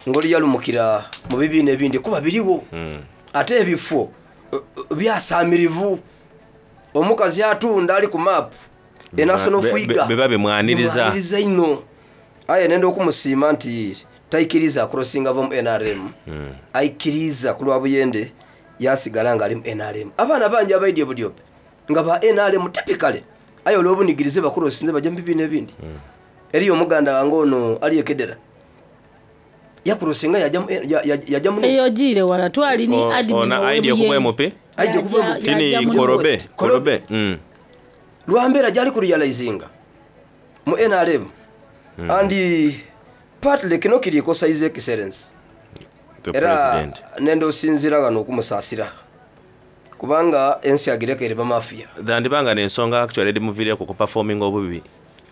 [SPEAKER 15] ng'oli yalumukira mu bibiina ebindi kuba biriwo.
[SPEAKER 13] Mm.
[SPEAKER 15] Ate ebifo byasaamirivu omukazi atunda ali ku map enasono fuiga
[SPEAKER 13] beba bimwaniriza
[SPEAKER 15] bimwaniriza ino. Aye nenda okumusiima nti taikiriza crossinga ava mu N R M.
[SPEAKER 13] Mm.
[SPEAKER 15] Aikiriza ku lwa buyende Yasigala nga ali mu N R M. Abaana bangi abaidye Budyope nga ba N R M typically, aye olw'obunigirize bakulosinze bajja mu bibiina ebindi. Eriyo omuganda wange ono ali ekedera yakulosinga yajja mu- ya- ya- yajja mu
[SPEAKER 14] Eyo giire wala twali ni
[SPEAKER 13] O-
[SPEAKER 14] admin.
[SPEAKER 13] Ona aidye okuva M P.
[SPEAKER 15] Aidye okuva M P.
[SPEAKER 13] Tini
[SPEAKER 14] Yajja mu-
[SPEAKER 13] Korobe Korobe Mm.
[SPEAKER 15] Lwambeera gyali kurealizinga mu N R M
[SPEAKER 13] Mm.
[SPEAKER 15] and partly kino kirikosa His Excellence
[SPEAKER 13] The
[SPEAKER 15] era
[SPEAKER 13] president.
[SPEAKER 15] nenda osinzira wano okumusaasira kubanga ensi agirekere bamafiya.
[SPEAKER 13] Dandibanga n'ensonga actually edimuviireko ku performing obubi.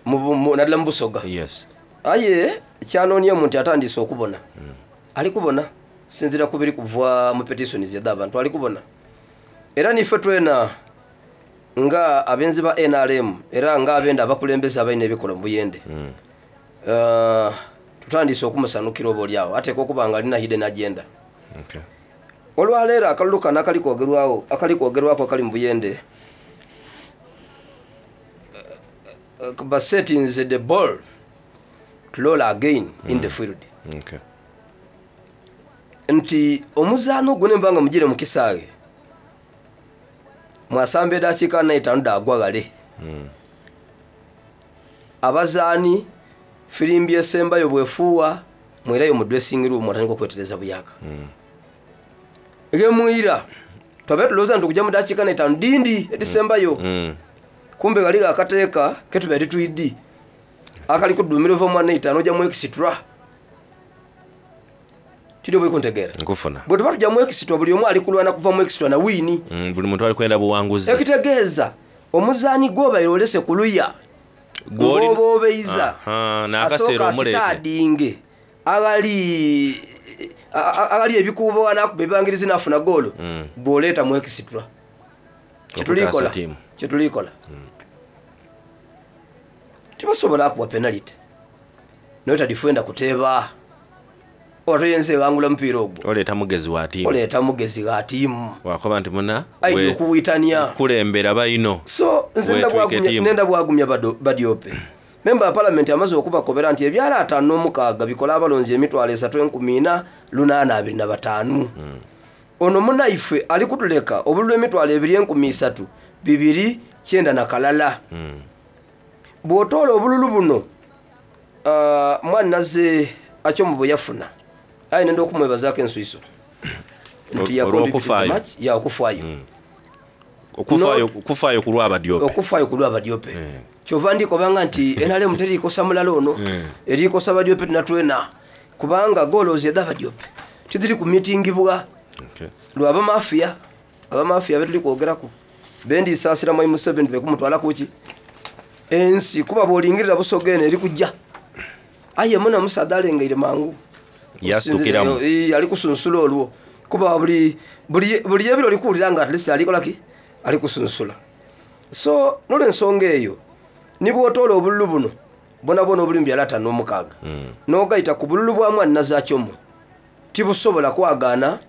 [SPEAKER 15] Naddala mu Busoga.
[SPEAKER 13] Yes.
[SPEAKER 15] Aye kyanoonye nti atandise okubona, ali kubona sinzira kubiri kuva mu petitions edda abantu ali kubona. Era nife twena nga abenzi ba N R M era nga abenda abakulembeze abalina ebikola mu Buyende, Uh, tutandise okumusanukira oba oliawo ateeka okuba nga alina hidden agenda.
[SPEAKER 13] Okay.
[SPEAKER 15] Olwaleero akalulu kano akali kwogerwawo akali kwogerwako akali mu Buyende, uh, uh, ba settings the ball to roll again in the field.
[SPEAKER 13] Okay.
[SPEAKER 15] Nti omuzaano ogwo nemba nga mugire mukisaawe mwasamba edakiika naitaano dagwa ghale.
[SPEAKER 13] Mm.
[SPEAKER 15] Abazaani firimbi esembayo bwefuuwa mwerayo mu dressing room atandika okwetereza buyaka.
[SPEAKER 13] Mm.
[SPEAKER 15] Gemwira twabe tulowooza nti okujja mu dakiika naitaano dindi edisembayo.
[SPEAKER 13] Mm.
[SPEAKER 15] Kumbe gali akateeka ketubaire titwidi akali kudumira ova mwana itaano ojja mu extra tiri oba ikuntegeera.
[SPEAKER 13] Nkufuna.
[SPEAKER 15] Bwe tuba tujja mu extra, buli omu ali kulwana kuva mu extra na wiini.
[SPEAKER 13] Mm, buli muntu ali kwenda buwanguzi.
[SPEAKER 15] Ekitegeeza omuzaani gwobaire olese ku luya
[SPEAKER 13] Gw'oli-
[SPEAKER 15] ng'oba obeiza
[SPEAKER 13] Aha, n'akaseera
[SPEAKER 15] asooka
[SPEAKER 13] omuleete.
[SPEAKER 15] asitaadinge agali a- a- agali ebikuubo anakuba ebibangirizi nafuna goolo.
[SPEAKER 13] Mm.
[SPEAKER 15] Bw'oleeta mu extra kyetulikola
[SPEAKER 13] Okutaasa ttiimu.
[SPEAKER 15] Kyetulikola tibasobola akuwa penalty naye tadifenda kuteeba oba toyenza ewangula mupiira ogwo.
[SPEAKER 13] Oleeta mugezi wa tiimu.
[SPEAKER 15] Oleeta mugezi ga tiimu.
[SPEAKER 13] Wakoba nti muna
[SPEAKER 15] aidya
[SPEAKER 13] we-
[SPEAKER 15] okuwitania.
[SPEAKER 13] Kulembera bayino.
[SPEAKER 15] So nze
[SPEAKER 13] Weetwike
[SPEAKER 15] nenda bwagumya-
[SPEAKER 13] ttiimu.
[SPEAKER 15] nenda bwagumya bado- badyope memba wa palamenti amaze okubakobera nti ebyalo ataano n'omukaaga bikola abalonzi emitwalo esatu enkumi ina lunaana abiri na bataanu. Ono munaife ali kutuleka obululu emitwalo ebiri enkumi isatu bibiri kyenda na kalala.
[SPEAKER 13] Mm.
[SPEAKER 15] Bw'otoola obululu buno, ah, mwannaze akyomu bwe yafuna, aye nenda okumwebazaako ensuiso nti
[SPEAKER 13] Olw'okufaayo.
[SPEAKER 15] yacontributed much, ya okufaayo.
[SPEAKER 13] Okufaayo okufaayo ku lw'abadyope.
[SPEAKER 15] Okufaayo ku lw'abadyope kyova ndikobanga nti N R M terikosa mulala ono, erikosa badyope tunatwena kubanga goloozi edda badyope tiziri kumitingibwa.
[SPEAKER 13] Okay.
[SPEAKER 15] Lwabamafiya abamafiya betuli kwogeraku bendisaasira mwai Museveni bekumutwala kuki ensi kuba bwolingirira Busoga eno eri kujja aye muna musaadha alengeire mangu.
[SPEAKER 13] Yasitukiramu.
[SPEAKER 15] Eh, ali kusunsula olwo kuba buli buli buli ebiro olikuwulira nga at least alikolaki ali kusunsula. So nolwensonga eyo nibwotoola obululu buno bwona bwona obuli mu byalo ataano n'omukaaga
[SPEAKER 13] Mm.
[SPEAKER 15] n'ogaita ku bululu bwa mwanna zakyomu tibusobola kwagaana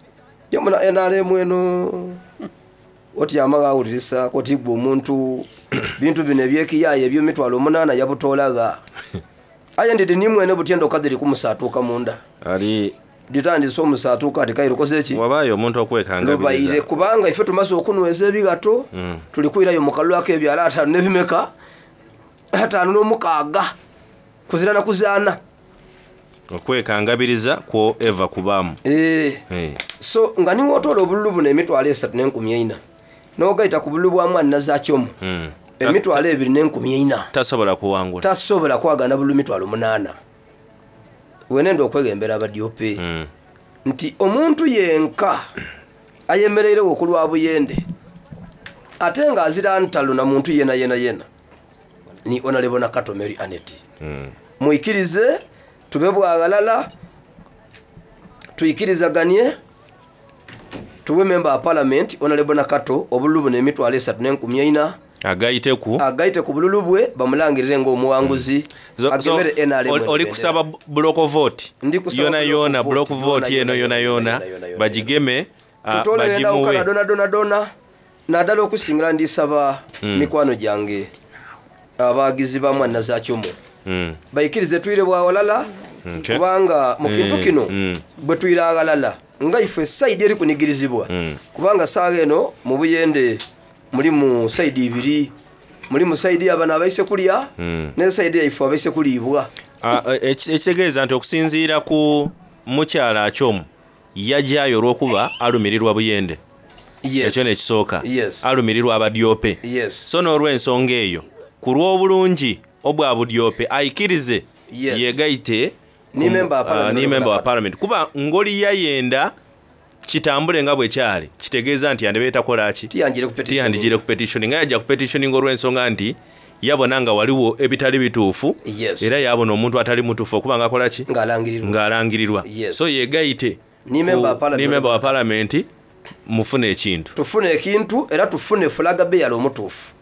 [SPEAKER 15] yomuna N R M eno otyama gawulirisa kotigwa omuntu bintu bino ebyekiyaayo ebyemitwalo omunaana yabutoolaga aye ndidi nimwene butyenda okaziri kumusatuuka munda.
[SPEAKER 13] Ali
[SPEAKER 15] ditandise omusatuuka ati kaire okoze eki
[SPEAKER 13] wabaayo omuntu okwekangabiriza.
[SPEAKER 15] Lubaire kubanga ife tumaze okunyweza ebigato.
[SPEAKER 13] Mm.
[SPEAKER 15] Tuli kwirayo mu kalulu ak'ebyalo ataano n'ebimeka ataano n'omukaaga kuzira na kuzaana.
[SPEAKER 13] Okwekangabiriza kwo eva kubaamu.
[SPEAKER 15] Eh.
[SPEAKER 13] Eh.
[SPEAKER 15] So nga niwotoola obululu buno emitwalo esatu n'enkumi eina n'ogaita ku bululu bwa mwanna zakyomu
[SPEAKER 13] Mm.
[SPEAKER 15] emitwalo ebiri n'enkumi eina,
[SPEAKER 13] tasobola kuwangula.
[SPEAKER 15] Tasobola kwagana bululu mitwalo munaana. Wenenda okwegembera abadyope
[SPEAKER 13] Mm.
[SPEAKER 15] nti omuntu yenka ayemereirewo ku lwa Buyende ate nga azira ntalo na muntu yena yena yena ni Honorable Nakato Mary Anet.
[SPEAKER 13] Mm.
[SPEAKER 15] Muikirize tube bwaghalala tuikirizaganye tuwe memba wa parliament Honorable Nakato obululu buno emitwalo esatu n'enkumi eina
[SPEAKER 13] agayite ku
[SPEAKER 15] agayite ku bululu bwe bamulangirire ng'omuwanguzi.
[SPEAKER 13] So- so,
[SPEAKER 15] agemere N R M
[SPEAKER 13] oli- oli kusaba block vote
[SPEAKER 15] Ndi kusaba
[SPEAKER 13] yona
[SPEAKER 15] block
[SPEAKER 13] yona
[SPEAKER 15] vote,
[SPEAKER 13] block vote
[SPEAKER 15] yona,
[SPEAKER 13] eno yona yona bagigeme, ah,
[SPEAKER 15] tutole endawukana
[SPEAKER 13] bagimuwe.
[SPEAKER 15] dona dona dona naddala okusingira ndisaba
[SPEAKER 13] Mm.
[SPEAKER 15] mikwano gyange abagizi ba mwanna zakyomu
[SPEAKER 13] Mm.
[SPEAKER 15] bayikirize twire bwawalala
[SPEAKER 13] Okay.
[SPEAKER 15] kubanga mu kintu
[SPEAKER 13] Mm,
[SPEAKER 15] kino
[SPEAKER 13] mm.
[SPEAKER 15] bwe twire aghalala Nga ife saidi eri kunigirizibwa,
[SPEAKER 13] Mm.
[SPEAKER 15] kubanga saawa eno mu Buyende mulimu saidi ibiri, mulimu saidi abano abaise kulya
[SPEAKER 13] Mm.
[SPEAKER 15] ne saidi yaife abaise kuliibwa.
[SPEAKER 13] Ah, eh, eki- ekitegeeza nti okusinziira ku mukyala Akyomu, yajjayo olw'okuba alumirirwa Buyende, ekyo nekisooka,
[SPEAKER 15] Yes.
[SPEAKER 13] alumirirwa abadyope.
[SPEAKER 15] Yes.
[SPEAKER 13] So n'olw'ensonga eyo, ku lw'obulungi obwa budyope, ayikirize
[SPEAKER 15] Yes.
[SPEAKER 13] yegaite
[SPEAKER 15] Ni
[SPEAKER 13] ku-
[SPEAKER 15] member wa
[SPEAKER 13] ah,
[SPEAKER 15] parliament.
[SPEAKER 13] ni member wa parliament, kuba ngoli yayenda kitambule nga bwe kyali, kitegeeza nti yandibe takola ki, tiyandigire ku petition, nga yajja ku petitioning olw'ensonga nti yabona nga waliwo ebitali bituufu.
[SPEAKER 15] Yes.
[SPEAKER 13] Era yabona omuntu atali mutuufu okuba nga akola ki,
[SPEAKER 15] ng'alangirirwa
[SPEAKER 13] ng'alangirirwa.
[SPEAKER 15] Yes.
[SPEAKER 13] So yegaite
[SPEAKER 15] Ni member wa
[SPEAKER 13] ku-
[SPEAKER 15] parliament.
[SPEAKER 13] ni member wa parliament, mufune ekintu.
[SPEAKER 15] Tufune ekintu era tufune flag bearer omutuufu,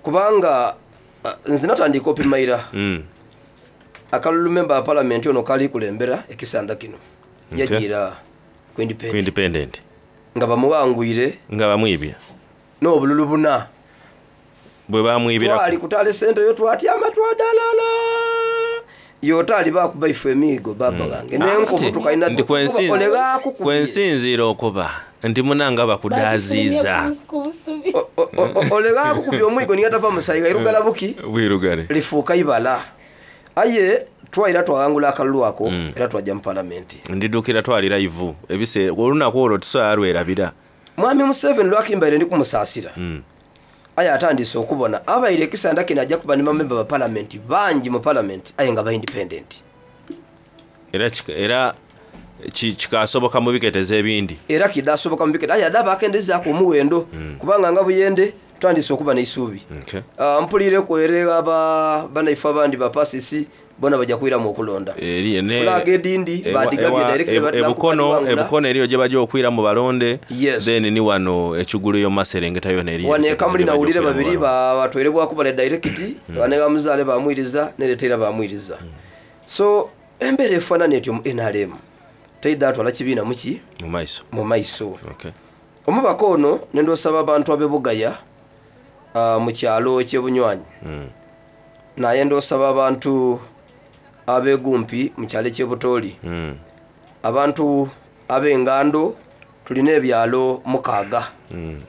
[SPEAKER 15] kubanga uh, nze natandika opimaira
[SPEAKER 13] Mm.
[SPEAKER 15] akalulu member wa parliament ono kali kulembera ekisanda kino.
[SPEAKER 13] Okay.
[SPEAKER 15] Yagira ku
[SPEAKER 13] Ku
[SPEAKER 15] independent
[SPEAKER 13] independent
[SPEAKER 15] nga bamuwangwire
[SPEAKER 13] nga bamwibye
[SPEAKER 15] n'obululu buna
[SPEAKER 13] bwe bamwibira.
[SPEAKER 15] Twali kutala sente yo, twatyama, twadalala, yotaali bakuba ife emiigo baba gange nenkovu tukalina.
[SPEAKER 13] Nti kwensin-
[SPEAKER 15] olegaku
[SPEAKER 13] kwensinziira okuba nti munanga bakudaziiza.
[SPEAKER 15] Olegaku kubya omwigo nigatava musayi gairugala buki
[SPEAKER 13] Bwirugale.
[SPEAKER 15] Lifuuka ibala, aye twaira twawangula akalulu ako era twajja mu palamenti.
[SPEAKER 13] Ndidukira twali live ebiseera olunaku olwo tusobola lwerabira.
[SPEAKER 15] Mwami Museveni lwakimbaire ndi kumusaasira,
[SPEAKER 13] Mm.
[SPEAKER 15] aye atandise okubona abaire ekisanda kino ajja kuba ne bamemba ba palamenti bangi mu palamenti, aye nga ba independent.
[SPEAKER 13] Era kika- era ki- kikasoboka mu biketezo ebindi.
[SPEAKER 15] Era kidasoboka mu bikete, aye adde abakendezaako omuwendo, kubanga nga Buyende tutandise okuba n'eisuubi.
[SPEAKER 13] Okay.
[SPEAKER 15] Ah, mpulireku ere aba banaife abandi bapasisi bona bajja kwiramu okulonda.
[SPEAKER 13] Eri- ne-
[SPEAKER 15] Flag edindi
[SPEAKER 13] ewa-
[SPEAKER 15] badigabye
[SPEAKER 13] ewa-
[SPEAKER 15] direct.
[SPEAKER 13] e-
[SPEAKER 15] batera
[SPEAKER 13] ebukono
[SPEAKER 15] kubadiwangula.
[SPEAKER 13] Ebukono eriyo gye bajja okwiramu balonde.
[SPEAKER 15] Yes.
[SPEAKER 13] Then ni wano ekigulu yo maserengeta yona eriyo.
[SPEAKER 15] Wano ekamuli
[SPEAKER 13] gye bajja
[SPEAKER 15] nawulire
[SPEAKER 13] okwiramu
[SPEAKER 15] babiri
[SPEAKER 13] balonde.
[SPEAKER 15] batwerebwako bale direct, bane bamuzaale bamwiriza nereteera bamwiriza. So embeera efaanana etyo mu N R M teidde atwala kibiina muki
[SPEAKER 13] mu maiso.
[SPEAKER 15] Mu maiso.
[SPEAKER 13] Okay.
[SPEAKER 15] Omubaka ono nendosaba abantu ab'ebugaya, ah, mu kyalo kyebunywanyi,
[SPEAKER 13] Mm.
[SPEAKER 15] naye ndosaba abantu ab'egumpi mu kyalo ekyebutooli,
[SPEAKER 13] Mm.
[SPEAKER 15] abantu ab'engando, tulina ebyalo mukaaga.
[SPEAKER 13] Mm.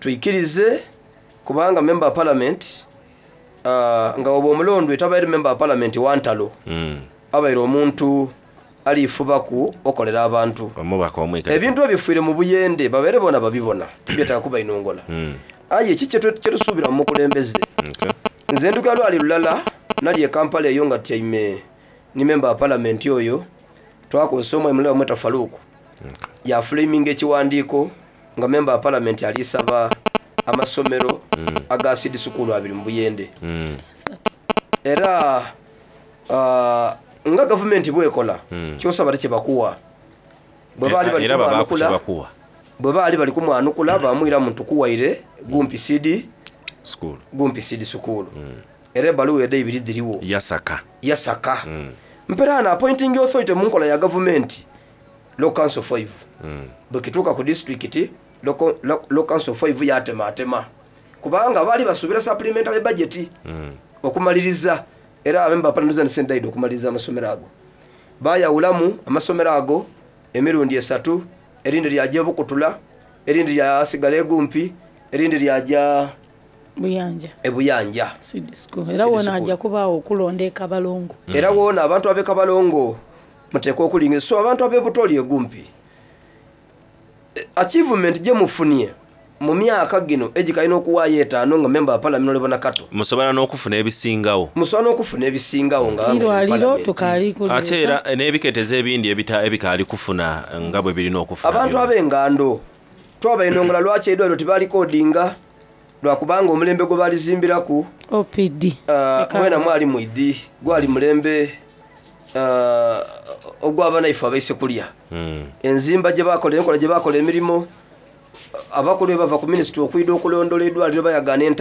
[SPEAKER 15] Tuyikirize, kubanga member wa parliament, ah, nga oba omulondwe tabaire member wa parliament wantalo,
[SPEAKER 13] Mm.
[SPEAKER 15] abaire omuntu alifubaku okolera abantu.
[SPEAKER 13] Omubaka omweka.
[SPEAKER 15] Ebintu ebifiire mu Buyende babeere bona babibona, tibyetaaga kuba inongola.
[SPEAKER 13] Mm.
[SPEAKER 15] Aye ki kyetu- kyetusuubira mu mukulembeze?
[SPEAKER 13] Okay.
[SPEAKER 15] Nze nduka lwali lulala nali e Kampala eyo nga tyaime ni member wa parliament oyo, twakozesa omwami mulala bamweta Faluku, yafulaminga ekiwandiiko nga member wa parliament alisaba amasomero aga seed school abiri mu Buyende.
[SPEAKER 13] Mm.
[SPEAKER 15] Era ah, nga gavumenti bwekola,
[SPEAKER 13] Mm.
[SPEAKER 15] kyosaba tekibakuwa. Bwe baali bali
[SPEAKER 13] Era babaku
[SPEAKER 15] kumwanukula,
[SPEAKER 13] kyebakuwa.
[SPEAKER 15] bwe baali bali kumwanukula bamwira muntu kuwaire gumpi seed
[SPEAKER 13] School.
[SPEAKER 15] gumpi seed school, era ebaluwa edde ibiri ziriwo.
[SPEAKER 13] Yasaka.
[SPEAKER 15] Yasaka.
[SPEAKER 13] Mm.
[SPEAKER 15] Mperaano appointing authority mu nkola ya gavumenti local council five.
[SPEAKER 13] Mm.
[SPEAKER 15] Bwekituuka ku disitulikiti, local local council five yatematema, kubanga baali basuubira supplementary budget
[SPEAKER 13] Mm.
[SPEAKER 15] okumaliriza. Era abemba parliament okumaliriza amasomero ago, bayawulamu amasomero ago emirundi esatu: erindi lyaja ebukutula, erindi lyasigala egumpi, erindi lyaja
[SPEAKER 14] Buyanja.
[SPEAKER 15] Ebuyanja.
[SPEAKER 14] Seed school. Era wona ajja kubaawo okulonda ekabalongo.
[SPEAKER 15] Era wona abantu ab'ekabalongo muteekwa okulinga. So abantu ab'ebutoli egumpi, eh, achievement gye mufunye mu myaka gino egikalina okuwaayo etaano nga memba wa parliament olebona kato,
[SPEAKER 13] Musobola n'okufuna ebisingawo.
[SPEAKER 15] Musobola n'okufuna ebisingawo nga nga
[SPEAKER 14] Irwaliro tukaali
[SPEAKER 13] Ate era n'ebiketezo ebindi ebita- ebikaali kufuna nga bwe birina okufuna.
[SPEAKER 15] Abantu ab'engando twabainongola lwaki eddwaliro tebalikodinga, lwakubanga omulembe gwe balizimbiraku
[SPEAKER 14] O P D.
[SPEAKER 15] uh, mwena mwali mwidi gwali mulembe uh, ogw'abanaife abaise kulya.
[SPEAKER 13] Mm.
[SPEAKER 15] Enzimba gye bakola, enkola gye bakola emirimu, abakulu bwe bava ku minisitule okwida okulondola eddwaliro bayagaana enta